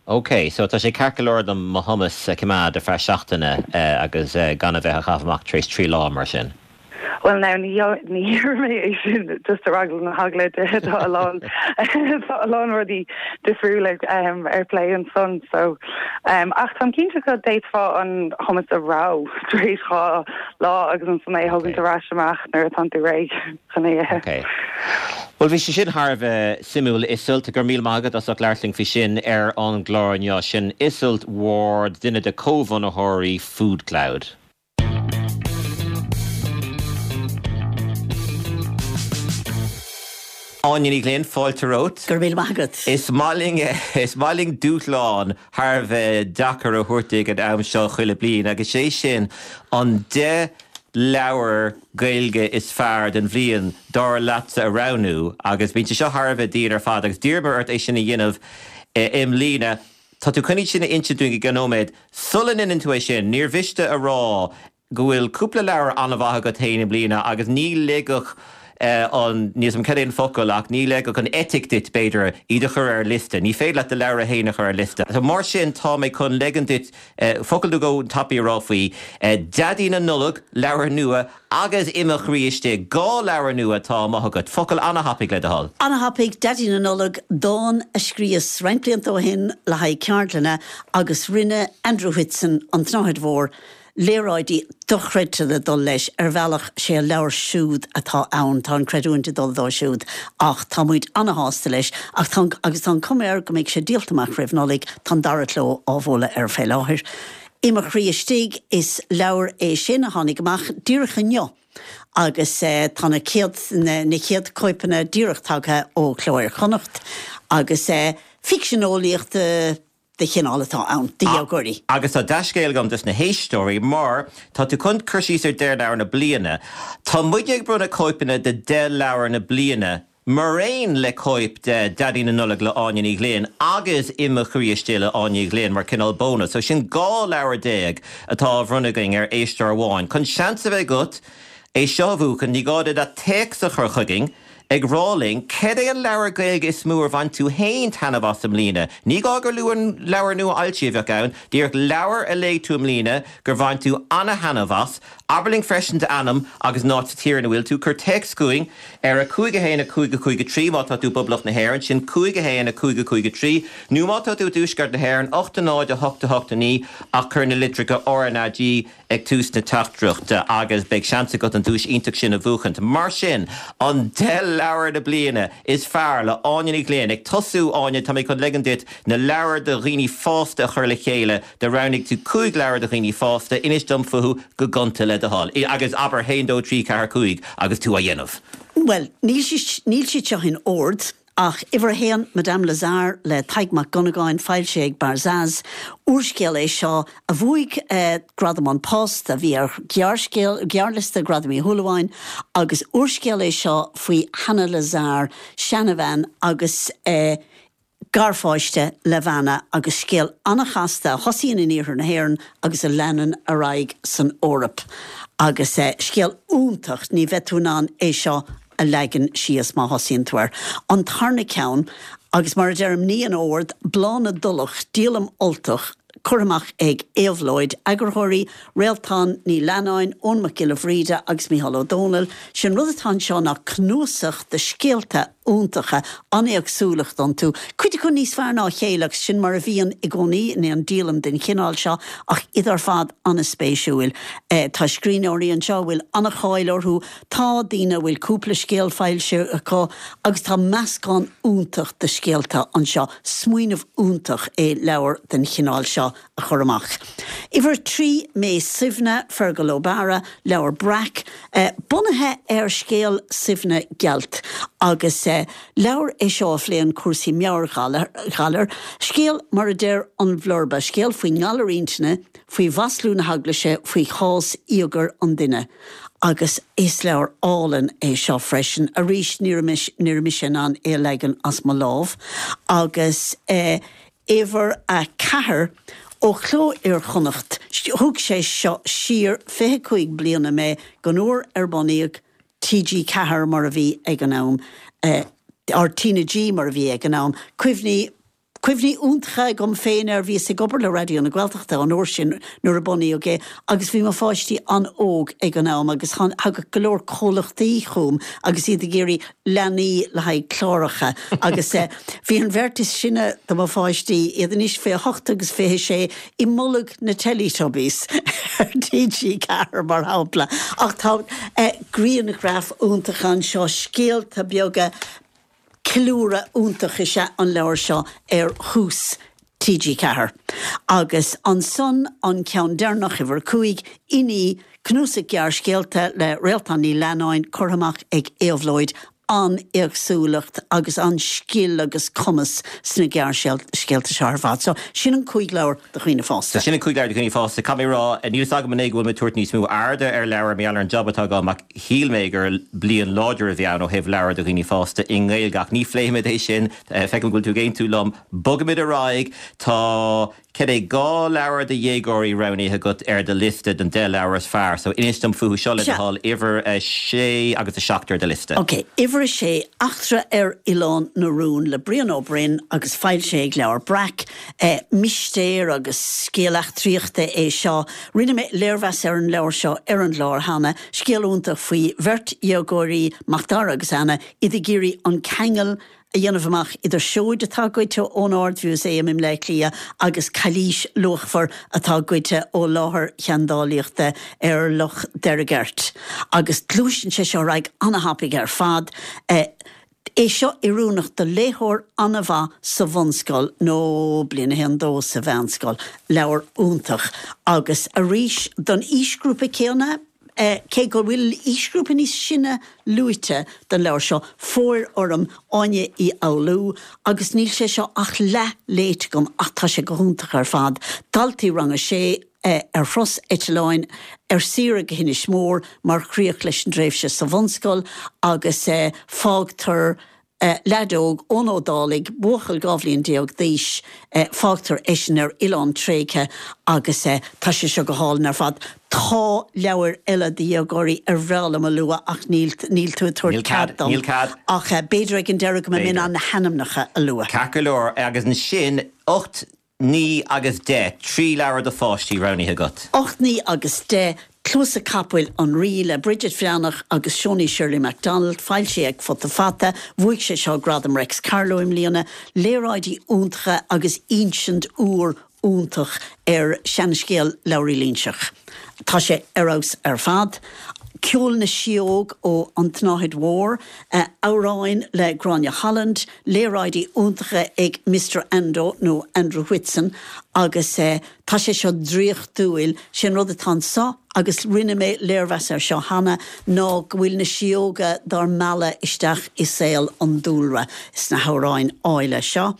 Ok, so tá sé ceart go leor dom mo hummus a choimeád ar feadh seachtaine agus gan a bheith á chaitheamh amach tar éis 3 lá, mar sin? Bhuel now ní ní dhéarfaidh mé é sin just ar eagla na heagla tá a lán tá a lán rudaí difriúla ar plé ansan so ach táim cinnte go d'fhéadfá an hummus a reo tar éis 2 lá agus ansan é a thógaint ar ais amach nuair atánn tú réidh. chun é a ithe. Ok. Bhuel, bhí sé sin thar a bheith suimiúil, Iseult. Go raibh míle maith agat as ucht labhairt linn faoi sin ar an gclár inniu. Sin Iseult Ward, duine de comhbhunaitheoirí FoodCloud. Áine Ní Ghlinn, fáilte romhat. Go raibh míle maith agat. Is maith linn, is maith linn dúshlán thar a bheith deacair a thabhairt ag an am seo chuile bliain agus sé sin an 10 leabhar Gaeilge is fearr den bhliain, dar leatsa, a roghnú agus bíonn sé seo thar a bheith dian ar fad agus d'iarramar ort é sin a dhéanamh i mbliana. Tá tú chun iad sin a insint dúinn i gceann nóiméad. Sula ndéanann tú é sin, níor mhiste a rá go bhfuil cúpla leabhar an-mhaith agat féin i mbliana agus ní ligfeadh an, níl 's agam cad é an focal ach ní ligfeadh an eitic duit, b'fhéidir, iad a chur ar liosta. Ní féidir leat do leabhra féin a chur ar liosta. So mar sin tá mé chun leigean duit Focal nó dhó tapaidh a rá faoi Daidí na Nollag, leabhar nua, agus I mo Chroí Istigh, 2 leabhar nua atá amuigh agat. Focal an-thapaidh le do thoil. An-thapaidh, Daidí na Nollag, dán a scríos roinnt blianta ó shin le haghaidh ceardlainne agus rinne Andrew Whitson, An tSnáthaid Mhór, léaráidí dochreidte le dul leis. Ar bhealach, sé an leabhar siúd atá ann, tá an creidiúint ag dul dó siúd ach tá muid ana-shásta leis ach tá, agus tá an cuma air go mbeidh sé díolta amach roimh Nollaig, tá an dara cló á bhualadh air fé láthair. I mo Chroí Istigh, is leabhar é sin a tháinig amach díreach inniu agus tá na céad, na chéad cóipeanna díreach tagtha ó Cló Iar-Chonnacht agus ficsean eolaíochta. de chineál atá ann do dhéagóirí. Agus tá dea-scéal agam dos na héisteoirí mar tá tú chun cur síos ar 10 leabhar na bliana. Tá muidne ag bronnadh cóipeanna de 10 leabhar na bliana maraon le cóip de Daidí na Nollag le Áine Ní Ghlinn agus I Mo Chroí Istigh le Áine Ní Ghlinn mar cineál bónas. So sin 12 leabhar atá á bhronnadh againn ar éisteoir amháin. Chun seans a bheith agat é seo a bhuachan ní gá duit ach téacs a chur chugainn ag rá linn cad é an leabhar Gaeilge is mó ar bhain tú féin taitneamh as i mbliana. Ní gá gur leabhar nua-fhoilsithe a bheadh ann, díreach leabhar a léigh tú i mbliana gur bhain tú ana-thaitneamh as. Abair linn freisin d'ainm agus an áit sa tír ina bhfuil tú. Cuir téacs chugainn ar 5 1 5 5 3 má tá tú i bPoblacht na hÉireann, sin 5 1 5 5 3, nó má tá tú i dTuaisceart na hÉireann, 8 0 8 8 9 ach cuir na litreacha RnaG ag tús na teachtaireachta agus beidh seans agat an duais iontach sin a bhuachaint. Mar sin, an 10 leabhar na bliana is fearr le Áine Ní Ghlinn. Ag tosú, Áine, tá mé chun ligean duit na leabhair do dhaoine fásta a chur le chéile. Do roghnaigh tú 5 leabhar do dhaoine fásta, inis dom fúthu go gonta le do thoil. Agus abair 1, 2, 3, 4, 5 agus tú á dhéanamh. Bhuel, níl siad seo in ord. Ach uimhir a haon, Madame Lazare le Tadhg Mac Dhonnagáin, foilsithe ag Barzaz. Úrscéal é seo a bhuaigh Gradam An Post, a bhí ar ghearrscéal, gearrliosta Ghradaim Uí Shúilleabháin, agus úrscéal é seo faoi Hannah Lazare, seanabhean agus garpháiste Levana agus scéal an-chasta a thosaíonn in iarthar na hÉireann agus a leanann ar aghaidh san Eoraip. Agus scéal iontach, ní bheidh tú in ann é seo a leagan síos má thosaíonn tú air. An tarna ceann, agus mar a deirim, ní in ord, Bláth na dTulach, díolaim Ultach, curtha amach ag Éabhlóid, eagarthóirí, Réaltán Ní Leannáin, Eoin Mac Giolla Bhríde agus Mícheál Ó Domhnaill. Sé an rud atá anseo ná cnuasach de scéalta iontacha, an-éagsúlacht iontu, cuid acu níos fearr ná a chéile agus sin mar a bhíonn i gcónaí in aon díolaim den chineál seo ach iad ar fad an-spéisiúil. Tá scríbhneoirí anseo a bhfuil an-cháil orthu, Tá daoine a bhfuil cúpla scéal foilsithe acu agus tá meascán iontach de scéalta anseo. Smaoineamh iontach é leabhar den chineál seo a chur amach. Uimhir 3, Mé Suibhne, Fergal O'Bara, Leabhar Breac, bunaithe ar scéal Suibhne Gealt agus leabhar é seo a phléann cúrsaí meabhairghalair. Scéal mar a deir an blurba, scéal faoin ngalar intinne, faoi mhaslú na heaglaise, faoi chás íogair an duine. Agus is leabhar álainn é seo freisin. Arís, ní raibh mise in ann é a leagan as mo lámh. Agus uimhir a 4, ó Chló Iar-Chonnacht, thug sé seo siar 25 bliana mé gon uair ar bunaíodh TG4 mar a bhí ag an am, or TnaG mar a bhí ag an am, cuimhní Cuimhní iontacha agam féin air, bhíos ag obair le Raidió na Gaeltachta an uair sin nuair a bunaíodh é agus bhí mo pháistí an-óg ag an am agus thagadh go leor comhlachtaí chugam agus iad ag iarraidh leanaí le haghaidh cláracha agus bhí an bheirt is sine de mo pháistí, iad anois 28 agus 26, i mbolg na Teletubbies ar TG4 mar shampla. Ach tá grianghraif iontacha anseo, scéalta beaga, Ceiliúradh iontach is ea an leabhar seo ar thús TG4. Agus ansan an ceann deireanach, uimhir 5, Inní, cnuasach gearrscéalta le Réaltán Ní Leannáin, curtha amach ag Éabhlóid, an-éagsúlacht agus an-scil agus cumas sna gearrscéalta seo ar fad. So, sin an 5 leabhar do dhaoine fásta. So, sin an 5 leabhar do dhaoine fásta. Caithfidh mé a rá, níl fhios agam an é go bhfuil mé ag tabhairt níos mó airde ar leabhair mar gheall ar an jab atá agam ach Shíl mé gur bliain láidir a bhí ann ó thaobh leabhar do dhaoine fásta i nGaeilge ach ní phléifimid é sin, feicim go bhfuil tú ag aontú liom. Bogaimid ar aghaidh, tá, cad é, 2 leabhar do dhéagóirí roghnaithe agat ar do liosta den 10 leabhar is fearr, so inis dom fúthu seo le do thoil, uimhir 6 agus 7 ar do liosta. Ok, uimhir 6, Eachtra ar Oileán na Rún le Brian Ó Broin agus foilsithe ag Leabhar Breac. Mistéir agus scéal eachtraíochta é seo. Rinne mé léirmheas ar an leabhar seo ar an gclár cheana. Scéal iontach faoi bheirt dhéagóirí, Macdara agus Anna, iad ag iarraidh an ceangal a dhéanamh amach idir seoid atá goidte ón Ard-Mhúsaem i mBleá Cliath agus cailís luachmhar atá goidte ó láthair sheandálaíochta ar Loch Deirgeirt. Agus gluaiseann sé seo ar aghaidh an-thapaidh ar fad. É seo oiriúnach do léitheoir an-mhaith sa bhunscoil nó bliain 1, 2 sa mheánscoil. Leabhar iontach. Agus arís, don aoisghrúpa céanna, cé go bhfuil aoisghrúpa níos sine luaite don leabhar seo, Fóir Orm, Áine Uí Fhoghlú, agus níl sé seo ach leath léite agam ach tá sé go hiontach ar fad. Daltaí rang a sé ar thuras eitleáin ar saoire go hInis Mór mar chríoch leis an dtréimhse sa bhunscoil agus fágtar Leaid óg, Eoin Ó Dálaigh, buachaill 12 bhliain d'aois, fágtar eisean ar oileán tréigthe agus tá sé seo go hálainn ar fad. Tá leabhair eile do dhéagóirí ar bhreá liom a lua ach níl níl tú ag tabhairt cead dom. Níl cead. Ach b'fhéidir ag an deireadh go mbeidh mé in ann na hainmneacha a lua. Ceart go leor, agus ansin 8, 9 agus 10, 3 leabhar do pháistí roghnaithe agat. 8, 9 agus 10, Cluasa Capaill an Rí le Bridget Bhreathnach agus Shoni Shirley MacDonald, foilsithe ag Futa Fata. Bhuaigh sé seo Gradam Réics Carló i mbliana. Léaráidí iontacha agus insint úr iontach ar seanscéal Labhraí Loingseach. Tá sé ar fheabhas ar fad. Ceol na Síóg ó An tSnáthaid Mhór, amhráin le Gráinne Holland, léaráidí iontacha ag Mister Ando nó Andrew Whitson agus tá sé seo draíochtúil. Sé an rud atá anso, agus rinne mé léirmheas air seo cheana, ná go bhfuil na síóga dár mealladh isteach i saol an dúlra sna hamhráin áille seo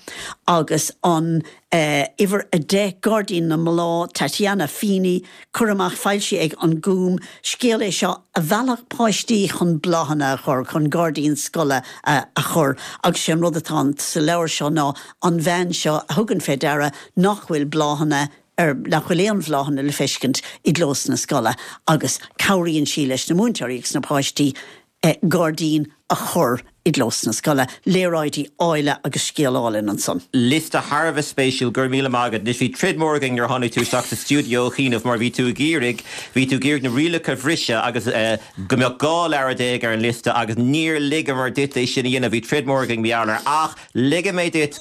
agus an Uimhir 10, Gairdín na mBláth, Tatiana Feeney, Cur amach, foilsithe ag An Gúm. Scéal é seo a mheallfadh páistí chun bláthanna a chur, chun gairdín scoile a chur agus sé an rud atá sa leabhar seo ná an bhean seo a thugann fé deara nach bhfuil bláthanna ar, nach bhfuil aon bhláthanna le feiscint i gclós na scoile agus cabhraíonn sí leis na múinteoirí agus na páistí gairdín a chur i gclós na scoile. Léaráidí áille agus scéal álainn ansan. Liosta thar a bheith spéisiúil, go raibh míle maith agat. Anois bhí troid mór againn nuair a tháinig tú isteach sa stiúideo, a Chianaibh, mar bhí tú ag iarraidh, bhí tú ag iarraidh na rialacha a bhriseadh agus go mbeadh 12 leabhar ar an liosta agus níor ligeamar duit é sin a dhéanamh, bhí troid mór againn mar gheall air ach ligfidh mé duit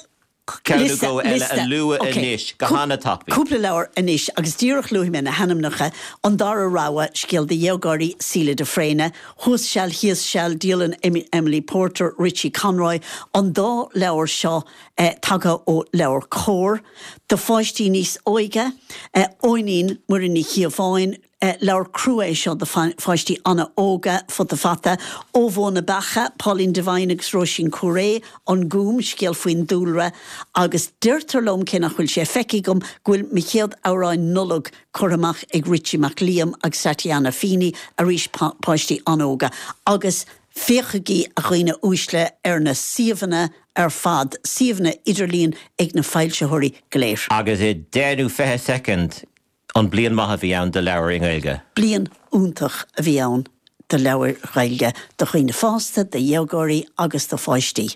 ceann nó dhó eile a lua anois go han-tapaidh. Cúpla leabhar anois agus díreach luafaidh mé na hainmneacha, An Dara Rogha, scéal do dhéagóirí, Síle de Fréine, Thuas Seal Thíos Seal, Dialann Emily Porter, Richie Conroy, an dá leabhar seo tagtha ó LeabhairCOMHAR. Do pháistí níos óige, Eoinín, Muireann Ní Chíobháin, Leabhar crua é seo do pháistí an-óga, Futa Fata, Ó Bhó na Beacha, Pauline Devine agus Róisín Cúré, An Gúm, scéal faoin dúlra, agus deirtear liom, cé nach bhfuil sé feicthe agam, go bhfuil Mo Chéad Amhráin Nollag curtha amach ag Richie Mac Liam agus Tatiana Feeney, arís páistí an-óga. Agus féachaigí, a dhaoine uaisle, ar na suíomhanna ar fad, suíomhanna idirlín ag na foilsitheoirí go léir. Agus i 10 nó 20 soicind, An bliain maith a bhí ann do leabhair i nGaeilge? Bliain iontach a bhí ann do leabhair Ghaeilge, do dhaoine fásta, do dhéagóirí agus do pháistí.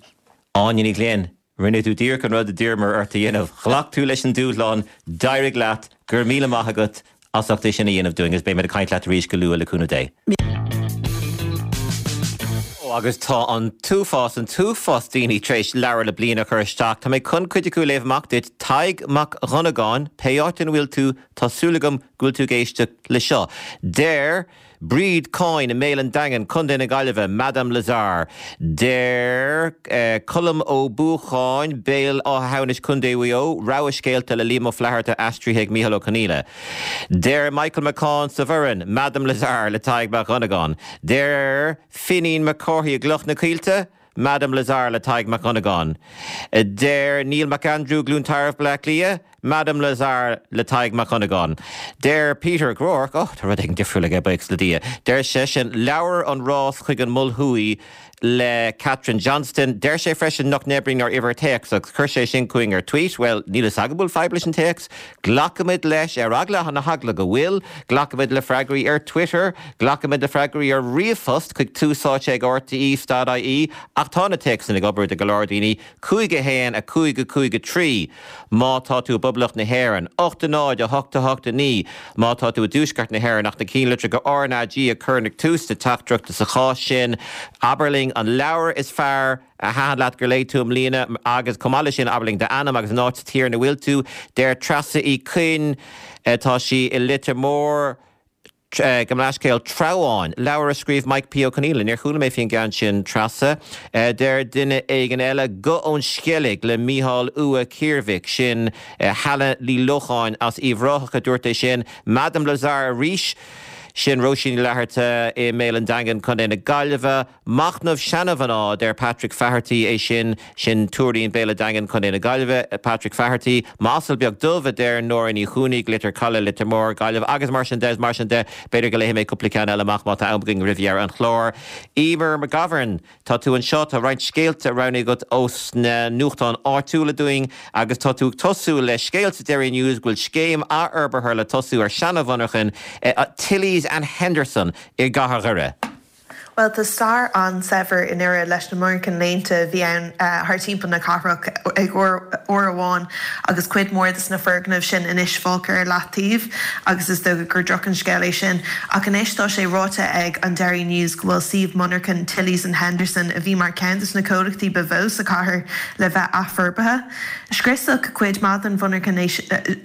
Áine Ní Ghlinn, rinne tú díreach an rud a d'iarramar ort a dhéanamh. Ghlac tú leis an dúshlán, d'éirigh leat, go raibh míle maith agat as ucht é sin a dhéanamh dúinn agus beidh muid ag caint leat arís go luath le cúnamh Dé. Ó, agus tá an t-uafás, an t-uafás daoine tar éis leabhar na bliana a chur isteach. Tá mé chun cuid acu a léamh amach duit. Tadhg Mac Dhonnagáin, pé áit ina bhfuil tú, tá súil agam go bhfuil tú ag éisteacht le seo. Deir Bríd Coyne i mBéal an Daingin, Contae na Gaillimhe, Madame Lazare. Deir Colm Ó Buacháin, Béal Átha hAmhnais, Contae Mhaigh Eo, Rogha Scéalta le Liam Ó Flaithearta aistrithe ag Mícheál Ó Conghaile. Deir Michael McCaughan sa Bhoireann, Madame Lazare le Tadhg Mac Dhonnagáin. Deir Finín Mac Cárthaigh i gCloich na Coillte, Madame Lazare le Tadhg Mac Dhonnagáin. Deir Neil McAndrew, Glún Tarbh, Baile Átha Cliath, Madame Lazare le Tadhg Mac Dhonnagáin. Deir Peter Groarke, oh, tá rud éigin difriúil aige, buíochas le Dia. Deir seisean, Leabhar An Rás chuig an Mol Thuaidh le Kathryn Johnston. Deir sé freisin nach n-oibríonn ár uimhir téacs agus chuir sé sin chugainn ar tweet. Bhuel, níl fhios agam an bhfuil fadhb leis an téacs. Glacfaimid leis, ar eagla na heagla go bhfuil. Glacfaimid le freagraí ar Twitter. Glacfaimid le freagraí ar ríomhphost chuig túsáite ag rte dot ie. Ach tá na téacsanna ag obair do go leor daoine. 5 1 5 5 3 má tá tú i bPoblacht na hÉireann, 8 0 8 8 9 má tá tú i dTuaisceart na hÉireann ach na ceannlitreacha RnaG a chur ag tús na teachtaireachta sa chás sin. Abair linn an leabhar is fearr a thaitin leat gur léigh tú i mbliana agus chomh maith leis sin abair linn d'ainm agus an áit sa tír ina bhfuil tú. Deir Treasa Uí Chuinn, tá sí i Leitir Móir, Gabh mo leithscéal, Treabháin, leabhar a scríobh Mike P. Ó Conghaile. Níor chuala mé faoin gceann sin, Treasa. Deir duine éigin eile, Guth ón Sceilg le Mícheál Ua Ciarmhaic. Sin Helen Ní Locháin as Uíbh Ráthach a dúirt é sin. Madame Lazare arís. Sin Róisín Ní Fhlatharta i mBéal an Daingin, Contae na Gaillimhe. Machnamh seanamhná, a deir Patrick Faherty, é sin, sin Tuairín, Béal an Daingin, Contae na Gaillimhe, Patrick Faherty. M'asal beag dubh, a deir Nóra Ní Chuanaigh, Leitir Caladh, Leitir Móir, Gaillimh, agus mar sin de, is mar sin de. B'fhéidir go léifidh mé cúpla ceann eile amach má tá am againn roimh dheireadh an chláir. Emer McGovern, Tá tú anseo, tá roinnt scéalta roghnaithe agat ós na nuachtáin áitiúla dúinn agus tá tú ag tosú le scéal sa Derry News go bhfuil scéim athfhorbartha le tosú ar seana-mhonarchain Tilley's and Henderson i gcathair Dhoire. Bhuel, tá stair an-saibhir i nDoire leis na monarchain léinte a bhí ann thar timpeall na cathrach ag uair amháin agus cuid mhór de na foirgnimh sin anois fágtha ar leataobh agus is dócha gur droch an scéal é sin. Ach anois tá sé ráite ag an Derry News go bhfuil suíomh monarchan Tilley's and Henderson, a bhí mar cheann de na comhlachtaí ba mhó sa chathair, le bheith athfhorbartha. Scriosadh cuid maith den mhonarchan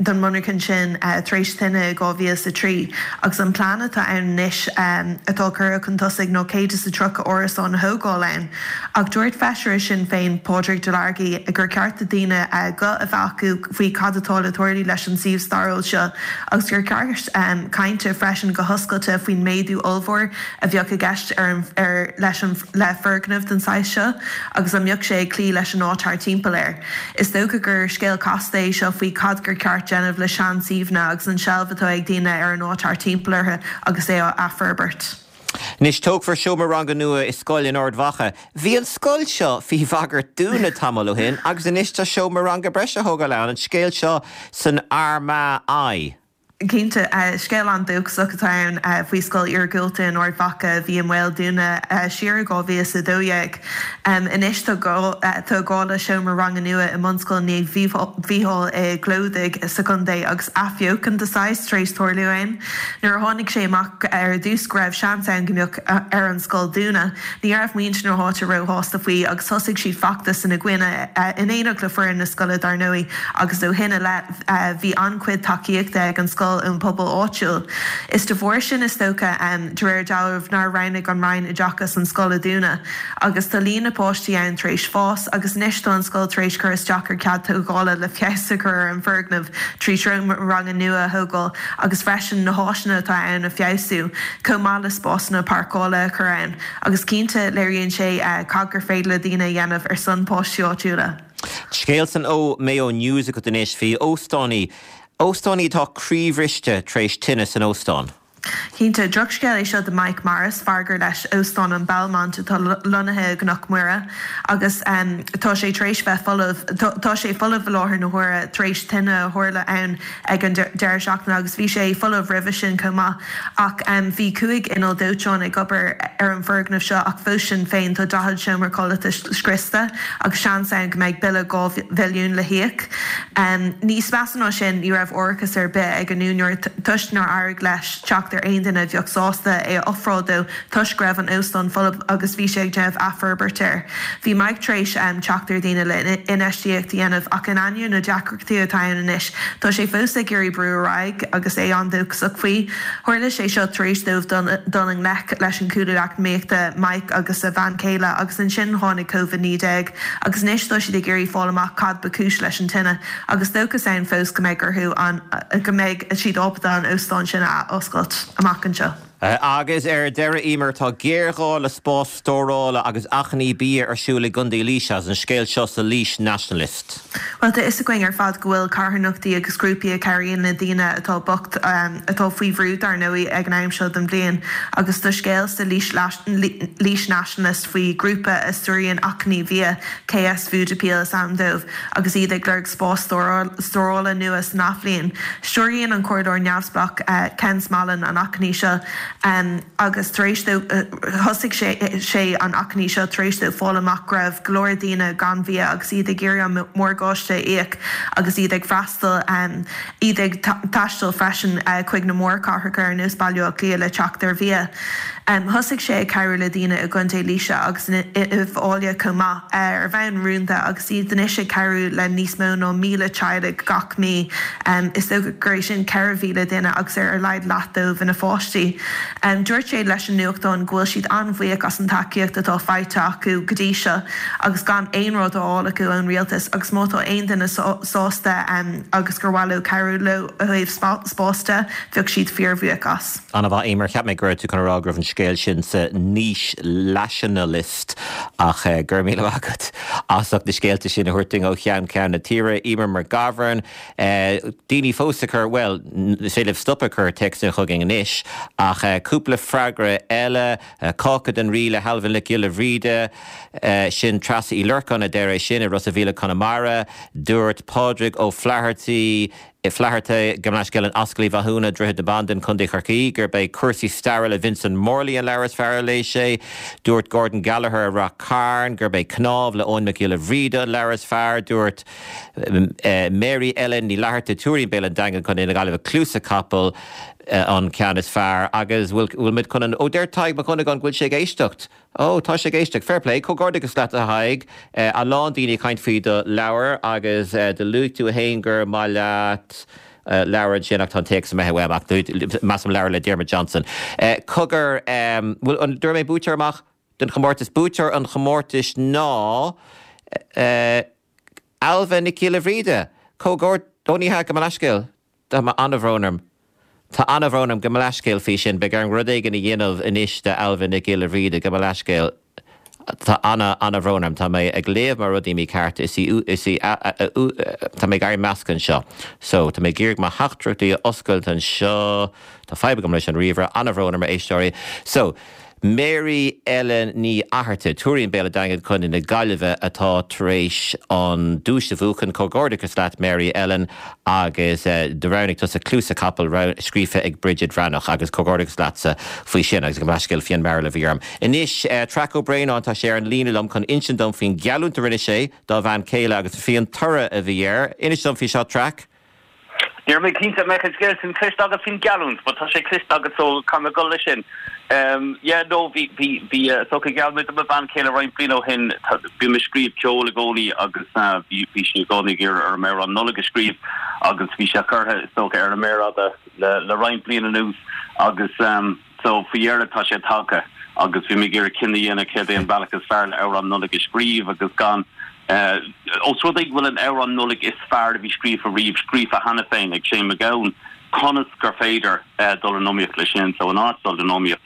den mhonarchan sin tar éis tine i 2003 agus an plean atá ann anois atá curtha chun tosaigh ná 130 árasán a thógáil ann. Ach dúirt feisire Shinn Féin, Pádraig Delargy, gur ceart do daoine guth a bheith acu faoi cad atá le tarlú leis an suíomh stairiúil seo agus gur ceart caint freisin go hoscailte faoin méadú ollmhór a bheadh i gceist ar an ar leis an le foirgneamh den saghas seo agus an mbeadh sé ag cloí leis an áit thart timpeall air. Is dócha gur scéal casta é seo faoi cad gur ceart déanamh le sean-suíomhanna agus an seilbh atá ag daoine ar an áit thart timpeall orthu agus é á athfhorbairt. Anois, tógfar seomra ranga nua i scoil in Ard Mhacha. Bhí an scoil seo faoi bhagairt dúnadh tamall ó shin agus anois tá seomra ranga breise á thógáil ann, an scéal seo san Armagh Eye. Cinnte, scéal an-dóchasach atá ann faoi scoil iargúlta in Ard Mhacha a bhí i mbaol dúnadh siar i 2012. Anois tá tá gá le seomra ranga nua i mBunscoil Naomh Mhícheál i gClódaigh sa chontae agus athbheochan de saghas tar éis tarlú ann. Nuair a tháinig sé amach ar dtús go raibh seans ann go mbeadh ar an scoil dúnadh, ní raibh muintir na háite róshásta faoi agus thosaigh siad feachtas ina gcoinne, in éineacht le foireann na scoile dar ndóigh, agus ó shin i leith. Bhí an-chuid tacaíochta ag an scoil ón bpobal áitiúil. Is de bharr sin, is dócha, de réir dealraimh, nár roghnaigh an Roinn Oideachais an scoil a dhúnadh. Agus tá líon na páistí ann tar éis fás, agus anois tá an scoil tar éis cur isteach ar cead tógála le feabhas a chur ar an bhfoirgneamh trí sheomra ranga nua a thógáil agus freisin na háiseanna atá ann a feabhsú, chomh maith le spásanna páirceála a chur ann. Agus cinnte, léiríonn sé cad gur féidir le daoine a dhéanamh ar son páistí áitiúla. Scéal san Mayo News agat anois faoi óstánaí, óstánaí atá croíbhriste tar éis tine san óstán. Cinnte, drochscéal é seo do Mike Morris, fear gur leis Óstán an Belmont atá lonnaithe i gCnoc Mhuire agus tá sé tar éis bheith folamh, tá sé folamh i láthair na huaire tar éis tine a tharla ann ag an deireadh seachtaine agus bhí sé folamh roimhe sin chomh maith. Ach bhí 5 inneall dóiteáin ag obair ar an bhfoirgneamh seo ach fós sin féin tá 40 seomra codlata scriosta agus seans ann go mbeidh bille 2 mhilliún le híoc. Níos measa ná sin ní raibh árachas ar bith ag an úinéir toisc nár éirigh leis teacht ar aon duine a bheadh sásta é a ofráil dó toisc go raibh an óstán folamh agus bhí sé ag déanamh athfhorbairt air. Bhí Mike tar éis teacht ar dhaoine le infheistíocht a dhéanamh ach in ainneoin na deacrachtaí atá ann anois, tá sé fós ag iarraidh brú ar aghaidh agus é an-dóchasach faoi. Tharla sé seo tar éis dóibh dul i ngleic leis an gcúlú eacnamaíochta, Mike agus a bhean chéile, agus ansin tháinig Covid-19 agus anois tá siad ag iarraidh fáil amach cad ba chúis leis an tine agus dóchas ann fós go mbeidh orthu an go mbeidh siad ábalta an óstán sin a athoscailt amach anseo. Agus ar deireadh, Emer, tá géarghá le spás stórála agus achainí bia ar siúl i gContae Laoise agus an scéal seo sa Laois Nationalist. Bhuel, tá fhios againn ar fad go bhfuil carthanachtaí agus grúpaí a chabhraíonn le daoine atá bocht, atá faoi bhrú dar ndóigh ag an am seo den bhliain. Agus tá scéal sa Laois Nationalist faoi ghrúpa a stiúraíonn achainí bhia, KS Food Appeal is ainm dóibh, agus iad ag lorg spás stórála nua san athbhliain. Stiúraíonn an comhairleoir neamhspleách Ken Smallin an achainí seo agus tar éis dó thosaigh sé an achainí seo tar éis dó fáil amach go raibh go leor daoine gan bhia agus iad ag iarraidh an morgáiste a íoc agus iad ag freastal iad ag taisteal freisin chuig na mórchathracha ar nós Baile Átha Cliath le teacht ar bhia. Thosaigh sé ag cabhrú le daoine i gContae Laoise agus in Uíbh Fhailí chomh maith, ar bhonn rúnda, agus iad anois ag cabhrú le níos mó ná 1,000 teaghlaigh gach mí. Is dócha gur é sin 4,000 duine agus ar a laghad leath dóibh ina pháistí. Dúirt sé leis an nuachtán go bhfuil siad an-bhuíoch as an tacaíocht atá faighte acu go dtí seo agus gan aon rud á fháil acu ón rialtas agus má tá aon duine sásta agus gur mhaith leo cabhrú leo ó thaobh spáis de, bheadh siad fíorbhuíoch as. An-mhaith, Eimear. Cheap mé go raibh tú chun a rá go raibh an scéal sin sa Naois-Lationalist ach go raibh míle maith agat as ucht na scéalta sin a thabhairt dúinn ó cheann ceann na tíre. Eimear McGovern, Daoine fós ag cur, bhuel, is féidir libh stop ag cur téacsanna chugainn anois ach cúpla freagra eile, Cáca don Rí le hAilbhe Nic Giolla Bhríde, sin Treasa Uí Lorcáin a deir é sin i Ros a' Mhíl i Conamara. Dúirt Pádraig Ó Flathartaigh, Flatharta, gabh mo leithscéal, in Ascaill Uí Mhathúna, Droichead na Bandan, Co. Chorcaí, gurb é Cúrsaí Staire le Vincent Morley an leabhar is fearr a léigh sé. Dúirt Gordon Gallagher i Rath Cairn gurb é Cnámh le Eoin Mac Giolla Bhríde an leabhar is fearr. Dúirt Mary Ellen Ní Fhlatharta, Tuairín, Béal an Daingin, Co. na Gaillimhe, Cluasa Capaill an ceann is fearr. Agus bhfuil muid chun an, ó deir Tadhg Mac Dhonnagáin go bhfuil sé ag éisteacht. Ó, tá sé ag éisteacht. Fair play. Comhghairdeachas leat, a Thaidhg. A lán daoine ag caint faoi do leabhar agus do luaigh tú fhéin gur maith leat leabhar ansin ach tá an téacs imithe uaim ach measaim leabhar le Diarmuid Johnson. Cogar, bhfuil an, dúirt mé buaiteoir amach den chomórtas. Buaiteoir an chomórtais ná Ailbhe Nic Giolla Bhríde. Comhghaird, ó ní hea, gabh mo leithscéal. Tá an-bhrón orm. Tá an-bhrón orm. Gabh mo leithscéal faoi sin. Beidh orm rud éigin a dhéanamh anois d'Ailbhe Nic Giolla Bhríde. Gabh mo leithscéal. Tá ana-bhrón orm. Tá mé ag léamh mo rudaí mícheart. Is í, is í, tá mé ag éirí measctha anseo. So, tá mé ag iarraidh mo theachtaireachtaí a oscailt anseo. Tá fadhb agam leis an ríomhaire. An-bhrón orm, a éisteoirí. So. Mary Ellen Ní Fhatharta, Tuairín Béal an Daingin, Co. na Gaillimhe, atá tar éis an duais a bhuachan. Comhghairdeachas leat Mary Ellen agus do roghnaigh tusa Cluasa Capaill, scríofa ag Bridget Bhreathnach agus comhghairdeachas leatsa faoi sin agus gabh mo leithscéal Fionn Mearbhall a bhí orm. Anois Traic Ó Braonáin, tá sé ar an líne liom chun insint dom faoin gheallúint a rinne sé dá bhean chéile agus faoin toradh a bhí air. Inis dom faoi seo Traic. Ní raibh mé cinnte an mbeadh an scéal sin cloiste agat faoin gheallúint, but tá sé cloiste agat so caithfidh mé dul leis sin. Yeah, no, bhí, bhí, bhí, is dócha gheall mé do mo bhean chéile roinnt bliain ó shin, bím ag scríobh ceoil i gcónaí agus bhí, bhí sí i gcónaí ag iarraidh orm amhrán Nollag a scríobh agus bhí sé curtha, is dócha, ar an méar fhada le, le roinnt bliain anuas agus so faoi dheireadh tá sé tagtha agus bhí mé ag iarraidh cinneadh a dhéanamh céard é an bealach is fearr le amhrán Nollag a scríobh agus gan Ós rud é go bhfuil an amhrán Nollag is fearr a bhí scríofa riamh scríofa cheana féin ag Shane MacGowan, conas gur féidir dul in iomaíocht leis sin? So in áit dul in iomaíocht,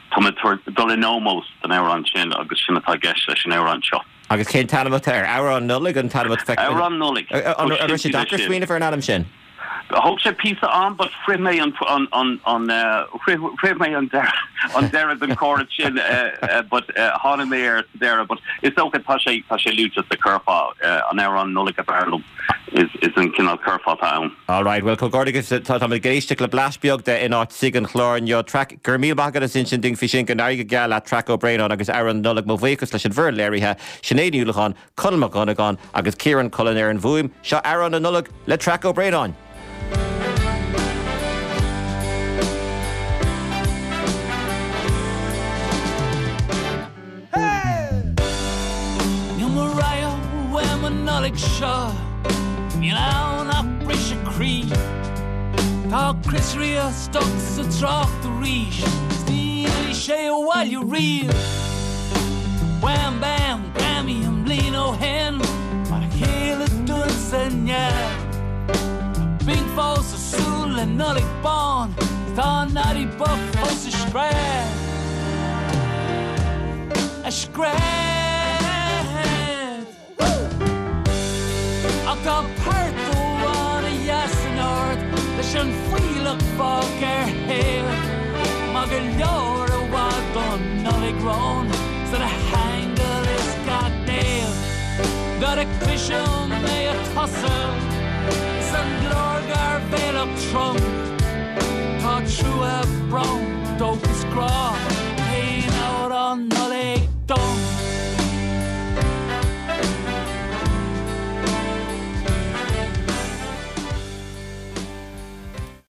tá mé ag dul in ómós don amhrán sin agus sin atá i gceist leis an amhrán seo. Agus cén t-ainm atá air? Amhrán Nollag an t-ainm atá air? Amhrán Nollag. An raibh sé deacair smaoineamh ar an ainm sin? Thóg sé píosa am but shroich mé an an shroich mé an an deireadh den chóras sin but tháinig mé air sa deireadh but is dócha tá sé tá sé luaite sa curfá an amhrán Nollag ab fhearr liom is is an cineál curfá atá ann. All right, well comhghairdeachas tá táimid ag éisteacht le blais beag de in áit suigh an chláir inniu. Traic, go raibh míle maith agat as insint dúinn faoi sin, go n-éirí go geal leat Traic Ó Braonáin agus Amhrán na Nollag. Mo bhuíochas leis an bhfoireann léirithe, Sinéad Ní Uallacháin, Conall Mac Dhonnagáin agus Ciarán Cullen ar an bhfuaim, seo Amhrán na Nollag le Traic Ó Braonáin. Níl mo rogha uaim an Nollaig seo, níl ann ach briseadh croí. Tá Chris Rea stuck sa trácht arís, 's ní fhillfidh sé abhaile riamh. Wham Bam! Grammy an bhliain ó shin mar a chéile dúinn sa neamh. Tá Bing fós ag súil le Nollaig bán, tá Noddy bocht fós ag scread. Ag scread. Ach tá port amháin a sheas in ard leis an fuílleach fágtha ar thaobh. Maith go leor i bhfad don Nollaig romhainn 's lena haingil is gach naomh. Nuair a chloisim é ag tosú is an glór gairbhéalach trom, tá trua, brón, dóchas, grá.